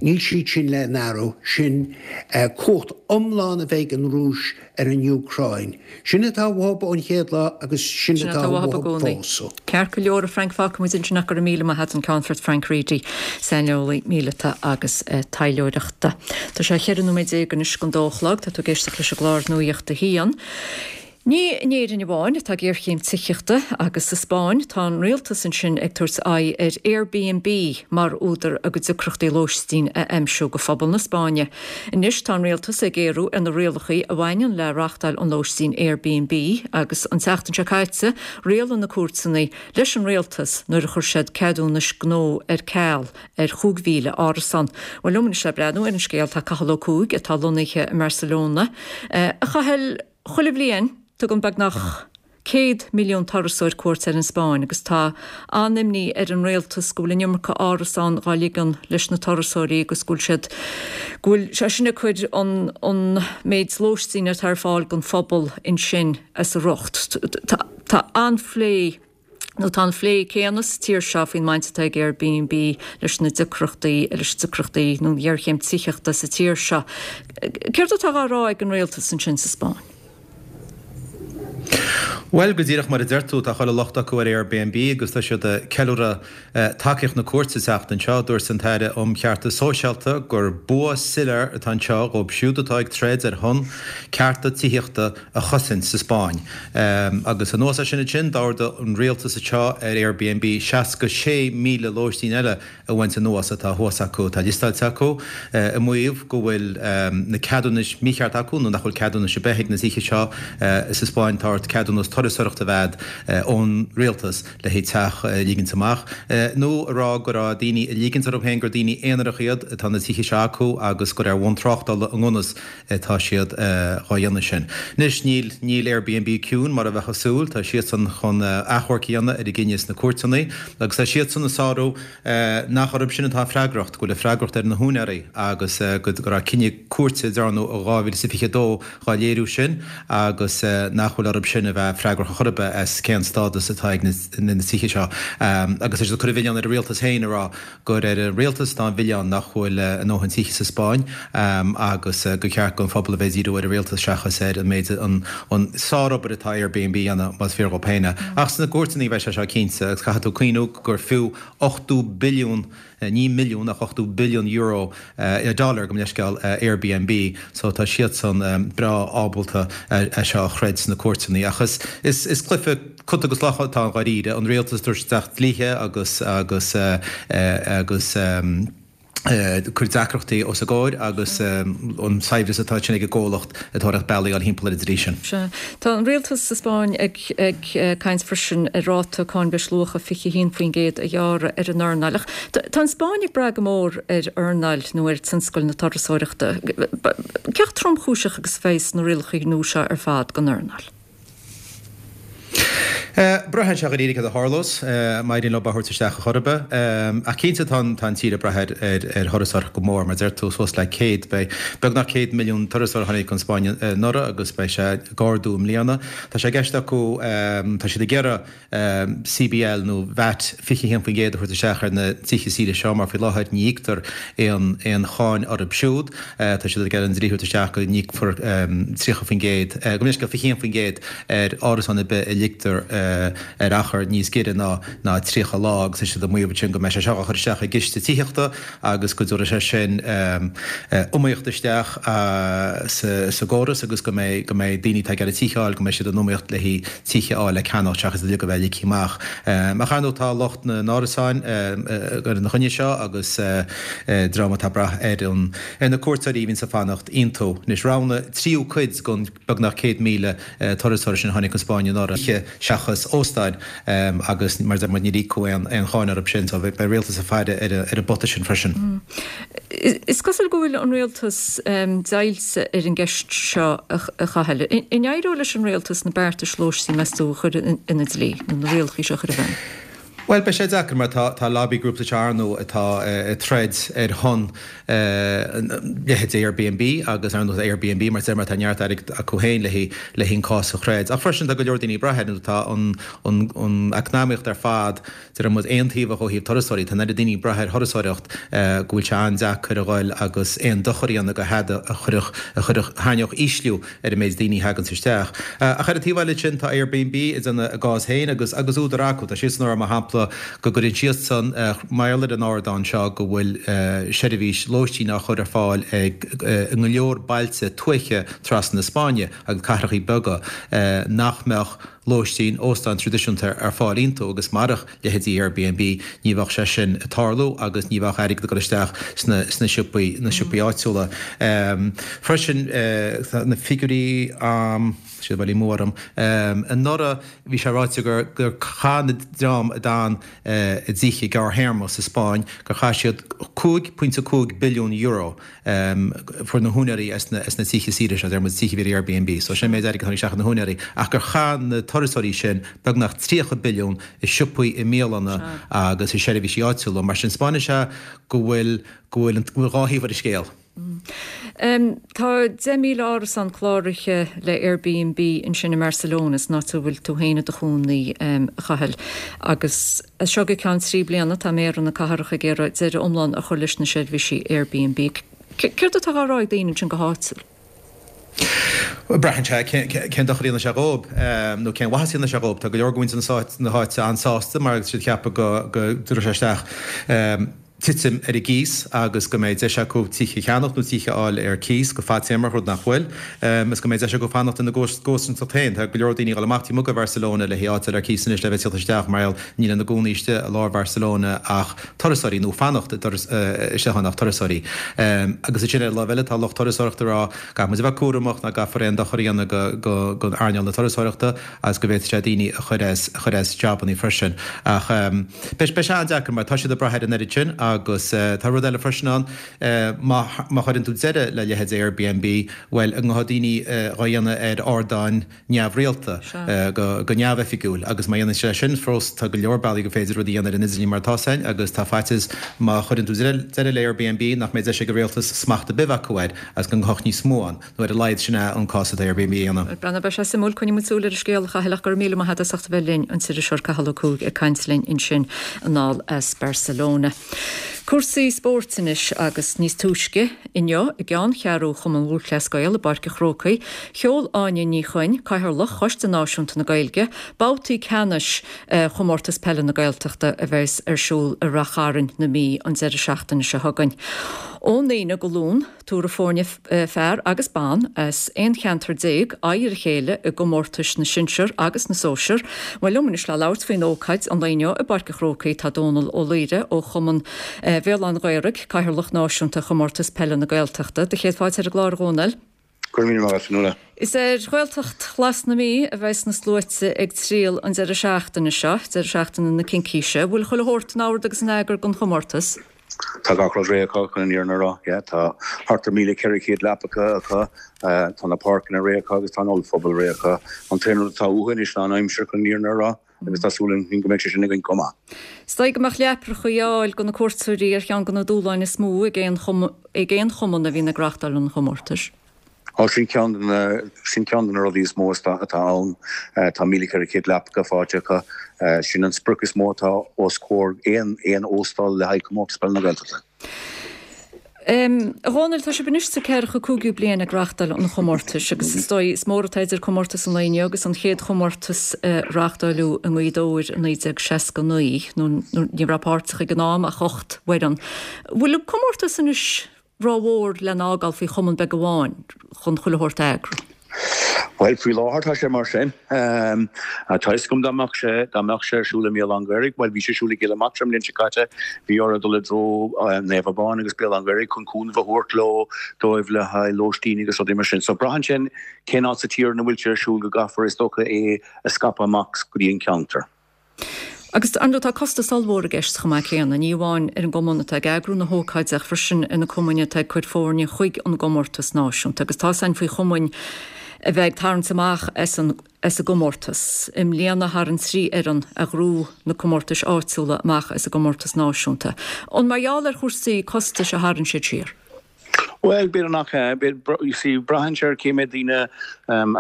níl siad sin le n-athrú, sin cumhacht iomlán a bheith ag an Rúis ar an Úcráin. Sin atá uathu ón chéad lá agus sin atá uathu fós. Ceart go leor, a Frank, fágfaidh muid ansin ach go raibh míle maith agat, an Ceannfort Frank Reidy, saineolaí míleata agus taidhleoireachta. Tá sé 14 nóiméad anois don dó a chlog, tá tú ag éisteacht leis an gclár Nuacht a hAon. Ní in Éirinn amháin atá géarchéim tithíochta agus sa Spáinn tá an rialtas ansin ag tabhairt aghaidh ar Airbnb mar údar a gcuid deacrachtaí lóistín a aimsiú go phobal na Spáinne. Anois tá an rialtas ag géarú ar na rialacha a bhaineann le reáchtáil an lóistín Airbnb agus an tseachtain seo caite rialaigh na cúirteanna leis an rialtas nuair a chuir siad ceadúnais gnó ar ceal ar 5,000 árasán. Bhuel liom anois le breathnú ar an scéal tá Cathal Ó Cuaig atá lonnaithe i mBarcelona. A Chathail, chuile bhliain tugann beagnach 100 milliún turasóir cuairt ar an Spáinn agus tá an-imní ar an rialtas go bhfuil an iomarca árasán dhá ligean leis na turasóirí agus go bhfuil siad, go bhfuil sé sin ag cur an an méid lóistín atá ar fáil don phobal ansin as a riocht. Tá an-phlé nó tá an phlé céanna sa tír seo faoin mbaint atá ag Airbnb leis na deacrachtaí, leis na deacrachtaí nó an ghéarchéim tithíochta sa tír seo. Céard atá á rá ag an rialtas ansin sa Spáinn? Bhuel, go díreach mar a deir tú, tá chuile locht acu ar Airbnb agus tá siad ag ceiliúradh tacaíocht na cúirte an tseachtain seo. Dúirt an tAire um Cheartas Sóisialta gur bua soiléir atá anseo dhóibh siúd atá ag troid ar shon cearta tithíochta a chosaint sa Spáinn. Agus anuas air sin ansin, d'ordaigh an rialtas anseo ar Airbnb 66,000 lóistín eile a bhaint anuas atá thuas acu, atá liostáilte acu, ag maíomh go bhfuil na ceadúnais mícheart acu nó nach bhfuil ceadúnais ar bith ag na tithe seo sa Spáinn. Tá ort ceadúnas turasóireachta a bheith agat ón rialtas le haghaidh teach a ligint amach nó a rá go raibh daoine ag ligint orthu féin gur daoine aonarach iad atá na tithe seo acu agus gur ar bhonn tráchtála i ngan fhios atá siad dhá dhéanamh sin. Anois, níl, níl Airbnb ciúin mar a bheifeá ag súil, tá siadsan chun achomharc a dhéanamh ar an gcinneadh sna cúirteanna agus tá siadsan ag sárú nach orthu sin atá an freagracht, go bhfuil an freagracht ar na húinéirí agus go raibh cinneadh cúirte a dearnadh i 2022 dhá léiriú sin agus nach bhfuil orthu sin a bheith freagrach ar chor ar bith as cén stádas atá ag na tithe seo. Agus tá siad ag cur an mhilleáin ar an rialtas féin ag rá gur ar an rialtas atá an mhilleán nach bhfuil a ndóthain tithe sa Spáinn agus gur cheart don phobal a bheith ag díriú ar an rialtas seachas ar an méid an sárobair atá Airbnb a dhéanamh, más fíor dhóibh féin é. Ach sna cúirteanna a bheidh sé seo cinnte agus caithfidh tú cuimhniú gur fiú 80 billiún, ní milliún ach 80 billiún euro, dollar gabh mo leithscéal, Airbnb so tá siadsan breá ábalta é seo a throid sna cúirteanna. Ach is is cluiche cat agus luch atá ann dháiríre, an rialtas ag tabhairt isteach dlíthe agus agus agus cur deacrachtaí os a gcomhair agus an saibhreas atá ansin ag an gcomhlacht ag tóraíocht bealaí a fháil thimpeall ar an dlí sin. Sea. Tá an rialtas sa Spáinn ag ag caint freisin ar ráta cáin bhreisluacha 21% a ghearradh ar an earnáil. Ach tá an Spáinn ag brath go mór ar earnáil nó ar tionscal na turasóireachta. Cé chomh tromchúiseach agus a bheas na rialacha nua seo ar fad don earnáil? Braitheann sé dháiríre céard a tharlós, má éiríonn leo é a thabhairt isteach ar chor ar bith. Ach cinnte tá an tír ag brath ar thurasóireacht go mór, mar a deir tú, suas le 100, beidh beagnach 100 milliún turasóir a tháinig chun Spáinne anuraidh agus beidh sé ag ardú i mbliana. Tá sé i gceist acu, tá siad ag iarraidh CBL nó VAT 21% a thabhairt isteach ar na tithe saoire seo mar faoi láthair ní íoctar aon aon cháin orthu siúd. Tá siad ag iarraidh an dlí a thabhairt isteach go n-íocfar 30%, gabh mo leithscéal, 21% ar árasán ar bith a ligtear ar achar níos giorra ná ná 30 lá agus tá siad ag maíomh ansin go mbeidh sé seo á chur isteach i gciste tithíochta agus go dtabharfaidh sé sin iomaíocht isteach sa gcóras agus go mbeidh go mbeidh daoine atá ag iarraidh tithe a fháil, go mbeidh siad in iomaíocht le haghaidh tithe a fháil le ceannacht seachas iad uilig a bheith ligthe amach. Ach ar ndóigh tá lucht na n-árasán ina choinne seo agus dream atá ag brath ar an ar na cuairteoirí a bhíonns ag fanacht iontu. Anois roghnaigh tríú cuid den beagnach 100,000 turasóir sin a tháinig chun Spáinne anuraidh tithe seachas óstáin agus mar a deir muid níor íocadh aon cháin orthu sin so beidh rialtas ag faire ar an bpota sin freisin. Is cosúil go bhfuil an rialtas deighilte ar an gceist seo a Chathail. An éireoidh leis an rialtas na beartais lóistín meas tú a chur ina dlí nó na rialacha seo a chur i bhfeidhm? Bhuel, beidh sé deacair mar tá tá lobby groups anseo ar ndóigh atá ag troid ar shon leithéid Airbnb agus ar ndóigh Airbnb mar mar tá neart airgid acu féin le haghaidh le haghaidh an cás a throid. Ach freisin tá go leor daoine ag brath air nó tá an an an eacnamaíocht ar fad deir muid aontaobhach ó thaobh turasóirí. Tá an oiread daoine ag brath ar thurasóireacht go bhfuil sé an-deacair a ghoil agus aon dochar a dhéanamh go hada a chuirfeadh a chuirfeadh thairneodh ísliú ar an méid daoine a thaganns isteach. Ach ar an taobh eile sin, tá Airbnb ag déanamh a gcás féin agus agus údar acu. Tá siadsan ag rá, mar shampla, go gcuireann siadsan mar gheall ar an ardán seo go bhfuil seirbhís lóistín á chur ar fáil ag i go leor bailte tuaithe trasna na Spáinne agus cathrachaí beaga nach mbeadh lóistín, óstáin traidisiúnta ar fáil iontu agus marach leithéidí Airbnb, ní bheadh sé sin ag tarlú agus ní bheadh airgead ag dul isteach sna sna siopaí, na siopaí áitiúla. Freisin, tá na figiúirí, tá siad bailithe amú orm, anuraidh bhí sé ráite gur gur chaith na dream a d'fhan i dtithe gearrthéarma sa Spáinn, gur chaith siad 5.5 billiún euro. Fuair na húinéirí as na tithe saoire seo, deir muid tithe a bhí ar Airbnb, so sin an méid airgid a tháinig isteach ag na húinéirí, ach gur chaith na turasóirí sin beagnach 30 billiún i siopaí, i mbialanna agus i seirbhísí áitiúla. Mar sin 'spáineann sé go bhfuil, go bhfuil, go bhfuil dhá thaobh ar an scéal. Tá 10,000 árasán cláraithe le Airbnb ansin i mBarcelona, san áit a bhfuil tú féin i do chónaí, a Chathail, agus As seo go ceann 3 bliana, tá méara na cathrach ag iarraidh deireadh iomlán a chur leis na seirbhísí Airbnb. Céard atá á rá ag daoine ansin go háitiúil? Bhuel, braitheann sé cén dochar a dhéanfaidh sé dhóibh, nó cén mhaitheas a dhéanfaidh sé dhóibh. Tá go leor de mhuintir na háite an-sásta mar tá siad ag ceapadh go dtabharfaidh sé isteach titim ar an gcíos agus go mbeidh deis acu tithe a cheannacht nó tithe a fháil ar cíos go fadtéarmach, rud nach bhfuil, is go mbeidh deis acu fanacht ina gcomharsanacht féin. Tá go leor daoine ag dul amach taobh amuigh de Bharcelona le haghaidh áit a fháil ar cíos anois le bheith ag tíocht isteach mar gheall níl ina gcónaí istigh i lár Bharcelona ach turasóirí nó fanacht istigh ann ach turasóirí. Agus ansin ar an láimh eile tá lucht turasóireachta ag rá caithfidh muid a bheith cúramach nach gcaithfear aon dochar a dhéanamh don earnáil na turasóireachta agus go bhféadfadh sé daoine a chur as a chur as jabannaí freisin. Ach beidh sé an-deacair mar tá siad ag brath ar an oiread sin agus tá rud eile freisin ann, má má chuireann tú deireadh le leithéid Airbnb, bhuel, an ngabhfaidh daoine dhá dhéanamh ar ardáin neamhrialta, go go neamhoifigiúil agus má dhéanann sé sin fós tá go leor bealaí gur féidir rud a dhéanamh ar an idirlíon mar atá ann agus tá faitíos má chuireann tú deireadh le Airbnb nach mbeidh deis ag an rialtas smacht ar bith a bheith acu air agus go ngabhfadh níos mó ann. Nó ar a laghad sin é an cás atá Airbnb a dhéanamh. Bhuel, beidh sé suimiúil, coinneoidh muid súil ar an scéal, a Chathail, ach go raibh míle maith agat as ucht a bheith linn, an t-iriseoir Cathal Ó Cuaig ag caint linn ansin anall as Barcelona. Cúrsaí spóirt anois agus níos túisce inniu i gceanncheathrú Chumann Lúthchleas Gael i bPáirc an Chrócaigh, sheol Áine Ní Chuinn, Cathaoirleach Choiste Náisiúnta na Gaeilge, babhtaí ceannais Chomórtas Peile na Gaeltachta a bheas ar siúl i Rath Chairn na Mí an deireadh seachtaine seo chugainn. Ón Aoine go Luan. Tabharfaidh foirne fear agus ban as 11 cheantar aghaidh ar a chéile i gcomórtais na sinsear agus na sóisear. Bhuel, liom anois le labhairt faoin ócáid an lae inniu i bPáirc an Chrócaigh tá Dónal Ó Laoire ó Chumann Bhéal Átha an Ghaorthaidh, Cathaoirleach Náisiúnta Chomórtas Peile na Gaeltachta. Do chéad fáilte ar an gclár, a Dhónaill. Go raibh míle maith agat, Fionnuala. Is ar Ghaeltacht Ghlas na Mí a bheas na sluaite ag triall an deireadh seachtaine seo, deireadh seachtaine na Cincíse. Bhfuil chuile shórt in ord agus in eagar don chomórtas? Tá gach rud réidh acu chun an fhírinne a rá. Yeah, tá thart ar 1,400 leapacha acu, tá na páirceanna réidh acu agus tá an ollphuball réidh acu. An t-aon rud atá uathu anois ná an aimsir chun an fhírinne a rá agus tá súil againn go mbeidh sé sin againn chomh maith. Is dóigh go mbeadh leapacha a fháil do na cuairteoirí ar cheann de na dúshláin is mó ag aon chumann a bhíonn ag reáchtáil an chomórtais. Á, sin ceann de na, sin ceann de na rudaí is mó atá ann. Tá 1,400 leapacha faighte acu. Sin an sprioc is mó atá os comhair aon, aon óstáil le haghaidh Comórtas Peile na Gaeltachta. A Dhónaill, tá sibh anois sa ceathracha cúigiú bliain ag reáchtáil an chomórtais agus is dóigh, is mór atá idir comórtas an lae inniu agus an chéad chomórtas a reáchtáileadh i nGaoth Dobhair i 1969, nó ní raibh páirteach ag an am ach 8 bhfoireann. Bhfuil an comórtas anois rómhór lena fhágáil faoi chumann beag amháin chun chuile shórt a eagrú. Bhuel, faoi láthair tá sé mar sin. Tá fhios agam dá mbeadh sé, dá mbeadh sé ar siúl i mBéal Átha an Ghaorthaidh, bhuel bhí sé ar siúl i gCill Matra an bhliain seo caite, bhí orthu dul i dtreo Naomh Abán agus Béal Átha an Ghaorthaidh chun cúnamh a thabhairt leo, dóibh le haghaidh lóistín agus rudaí mar sin. So braitheann sé cén áit sa tír ina bhfuil sé ar siúl go gcaithfear is dócha é a scaipeadh amach go dtí an ceantar. Agus, ar ndóigh, tá costas ollmhór i gceist chomh maith céanna, ní amháin ar an gcumann atá ag eagrú na hócáide ach freisin ar na cumainn atá ag cur foirne chuig an gcomórtas náisiúnta. Agus tá's againn faoi chumainn a bheith ag tarraingt amach as an as an gcomórtas. I mbliana tharraing 3 fhoireann a ghnóthaigh na comórtais áitiúla amach as an gcomórtas náisiúnta. An mar gheall ar chúrsaí costais a tharraing siad siar? Bhuel, b'fhéidir nach ea. You see, braitheann sé ar cé mhéad daoine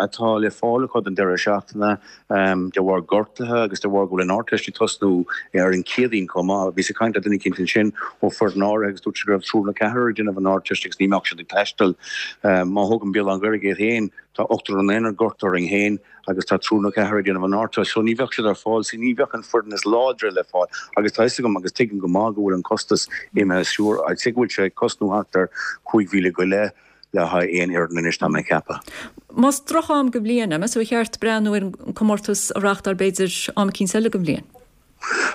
atá le fáil acu don deireadh seachtaine, de bharr gortuithe agus de bharr go bhfuil an Ardteist ag tosnú ar an Chéadaoin chomh maith. Bhíos ag caint le duine eicínt ansin ó foireann áirithe agus dúirt sé go raibh triúr nó ceathrar ag déanamh an Ardteist agus ní mbeadh siad ag taisteal. Má thógaim Béal Átha an Ghaorthaidh iad féin, tá ochtar ina n-aonar gortaithe orainn féin. agus tá triúr nó ceathrar ag déanamh an Ardteist so ní bheadh siad ar fáil, so ní bheadh an foireann is láidre le fáil agus tá fhios agam agus tuigim go maith go bhfuil an costas imithe siar, I'd say go bhfuil sé ag cosnú thart ar 5,000 go leith le haghaidh aon fhoireann anois tá mé ag ceapadh. Más droch-am den bhliain é, meas tú ar cheart breathnú ar an comórtas a reáchtáil b'fhéidir am eicínt eile den bhliain?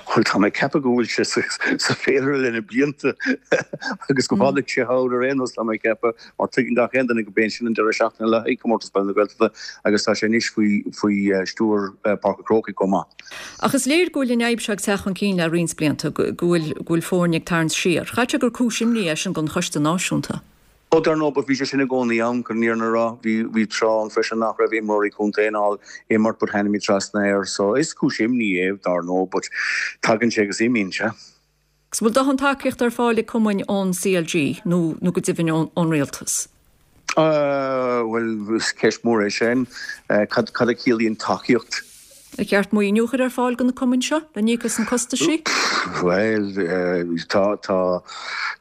Bhuel, tá mé ag ceapadh go bhfuil sé sa bhféilire le na blianta agus go bhfanfaidh sé ann ar aon nós, tá mé ag ceapadh, mar tuigeann gach aon duine go b'é sin an deireadh seachtaine le haghaidh Comórtas Peile na Gaeltachta agus tá sé anois faoi faoi stiúir Páirc an Chrócaigh chomh maith. Ach is léir go bhfuil an fhadhb seo ag teacht chun cinn le roinnt blianta, go bhfuil go bhfuil foirne ag tarraingt siar. Chaithfeadh sé gur cúis imní é sin don Choiste Náisiúnta. Ó, dar ndóigh, but bhí sé sin i gcónaí ann, chun an fhírinne a rá. Bhí, bhí tráth ann freisin nach raibh imreoirí contae in ann imirt but tháinig muid trasna air. So, is cúis imní é, dar ndóigh, but tagann sé agus imíonn sé. Agus an bhfuil dóthain tacaíochta ar fáil ag cumainn ón CLG nó, nó go deimhin ón, ón rialtas? Bhuel, is ceist mhór é sin. Cad, cad a chiallaíonn tacaíocht? Ar cheart maoiniú a chur ar fáil do na cumainn seo le n-íoc as na costaisí? Bhuel, tá, tá,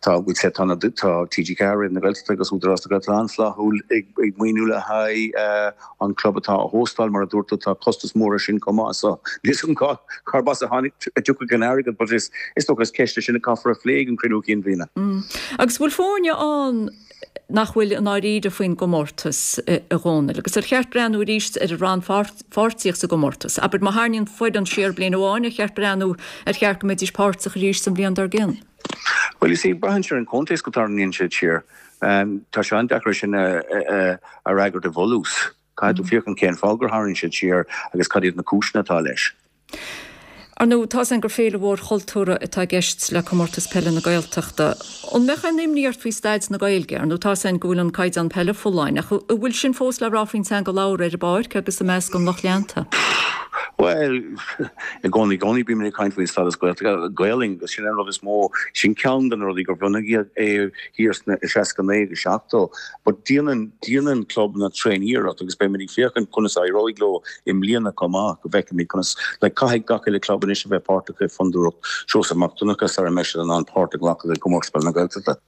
tá, we'd say tá na, tá TG4, Roinn na Gaeltachta agus Údarás na Gaeltachta an-fhlaithiúil ag, ag maoiniú le haghaidh an club atá á hóstáil, mar a dúirt tú, tá costas mór air sin chomh maith so níl 'fhios agam cá, cárb as a tháinig, a dtiocfaidh an airgead but is, is dócha is ceist é sin a caithfear a phlé ag an cruinniú cinn bhliana. Agus bhfuil foirne ann nach bhfuil i ndáiríre faoin gcomórtas, a Dhónaill, agus ar cheart breathnú arís ar an rannpháirtíocht sa gcomórtas? Abair, má tharraingíonn foireann siar bliain amháin, ar cheart breathnú ar cheart go mbeidís páirteach arís an bhliain dár gcionn? Bhuel, you see, braitheann sé ar an chontae as go dtarraingíonn siad siar. Tá sé an-deacair é sin a fhreagairt i bhfolús. Caithfidh tú féachaint cén fáth gur tharraing siad siar agus cad iad na cúiseanna atá leis. Ar ndóigh, tá's againn gur féile mhór chultúrtha atá i gceist le Comórtas Peile na Gaeltachta. An mbeadh aon imní ort faoi staid na Gaeilge? Ar ndóigh, tá's againn go bhfuil an caighdeán peile folláin, ach an bhfuil sin fós le rá faoin teanga labhartha ar an bpáirc agus i measc an lucht leanta? Bhuel, i gcónaí, i gcónaí bímid ag caint faoin stádas Gaeltachta, Gaelainn, agus sin an rud is mó, sin ceann de na rudaí gur bunaíodh é thiar sna 69 agus 70. But déanann, déanann clubanna tréan-iarracht agus beimid ag féachaint conas a éireoidh leo i mbliana chomh maith, go bhfeicfimid conas, like caithfidh gach uile club anois a bheith páirteach i Fondúireacht Seosamh Mac Donncha sara mbeidh siad in ann páirt a ghlacadh i gComórtas Peile na Gaeltachta.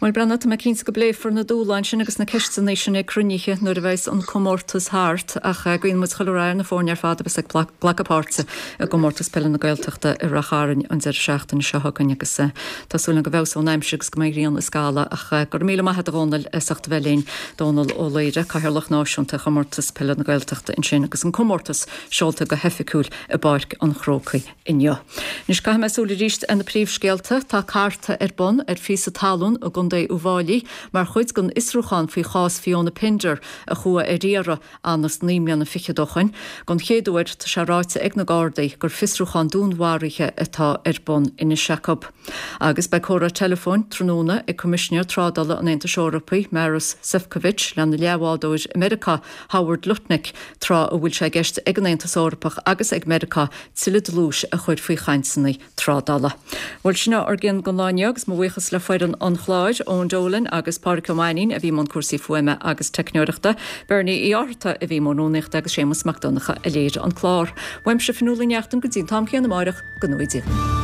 Bhuel, Breandán, tá mé cinnte go bpléifear na dúshláin sin agus na ceisteanna sin ag cruinnithe nuair a bheas an comórtas thart ach guíonn muid chuile rath ar na foirne ar fad a bheas ag glacadh páirte i gComórtas Peile na Gaeltachta i Rath Chairn an deireadh seachtaine seo chugainn agus Tá súil agam go bhfeabhsóidh an aimsir agus go mbeidh grian is scamaill ach go raibh míle maith a't a Dhónaill as ucht a bheith linn. Dónal Ó Laoire, Cathaoirleach Náisiúnta Chomórtas Peile na Gaeltachta ansin agus an comórtas seolta go hoifigiúil i bPáirc an Chrócaigh inniu. Anois caithfidh mé súil arís ar na príomhscéalta. Tá cartadh ar bun ar phíosa talún. talún i gContae Uíbh Fháilí mar chuid den fhiosrúchán faoi chás Fiona Pender a chuaigh ar iarraidh anuas naoi mbliana fichead ó shoin. Don chéad uair, tá sé ráite ag na Gardaí gur fiosrúchán dúnmharaithe atá ar bun anois acu. Agus beidh comhrá teileafóin tráthnóna ag Coimisinéir Trádála an Aontais Eorpaigh, Maros Sefcovic, lena leathbhádóir i Meiriceá, Howard Lutnick, tráth a bhfuil sé i gceist ag an Aontas Eorpach agus ag Meiriceá tuilleadh dlúis a chur faoi chainteanna trádála. Bhuel, sin é ár gcionn don lá inniu agus mo bhuíochas le foireann an chláir, Eoin Dolan agus Pádraic Ó Mainnín a bhí i mbun cúrsaí fuaime agus teicneoireachta, Bernie Uí Fhátharta a bhí i mbun rúnaíochta agus Séamus Mac Donncha a léirigh an clár. Uaimse Fionnuala Ní Neachtain go dtí an t-am céanna amáireach, go ngnóthaí Dia.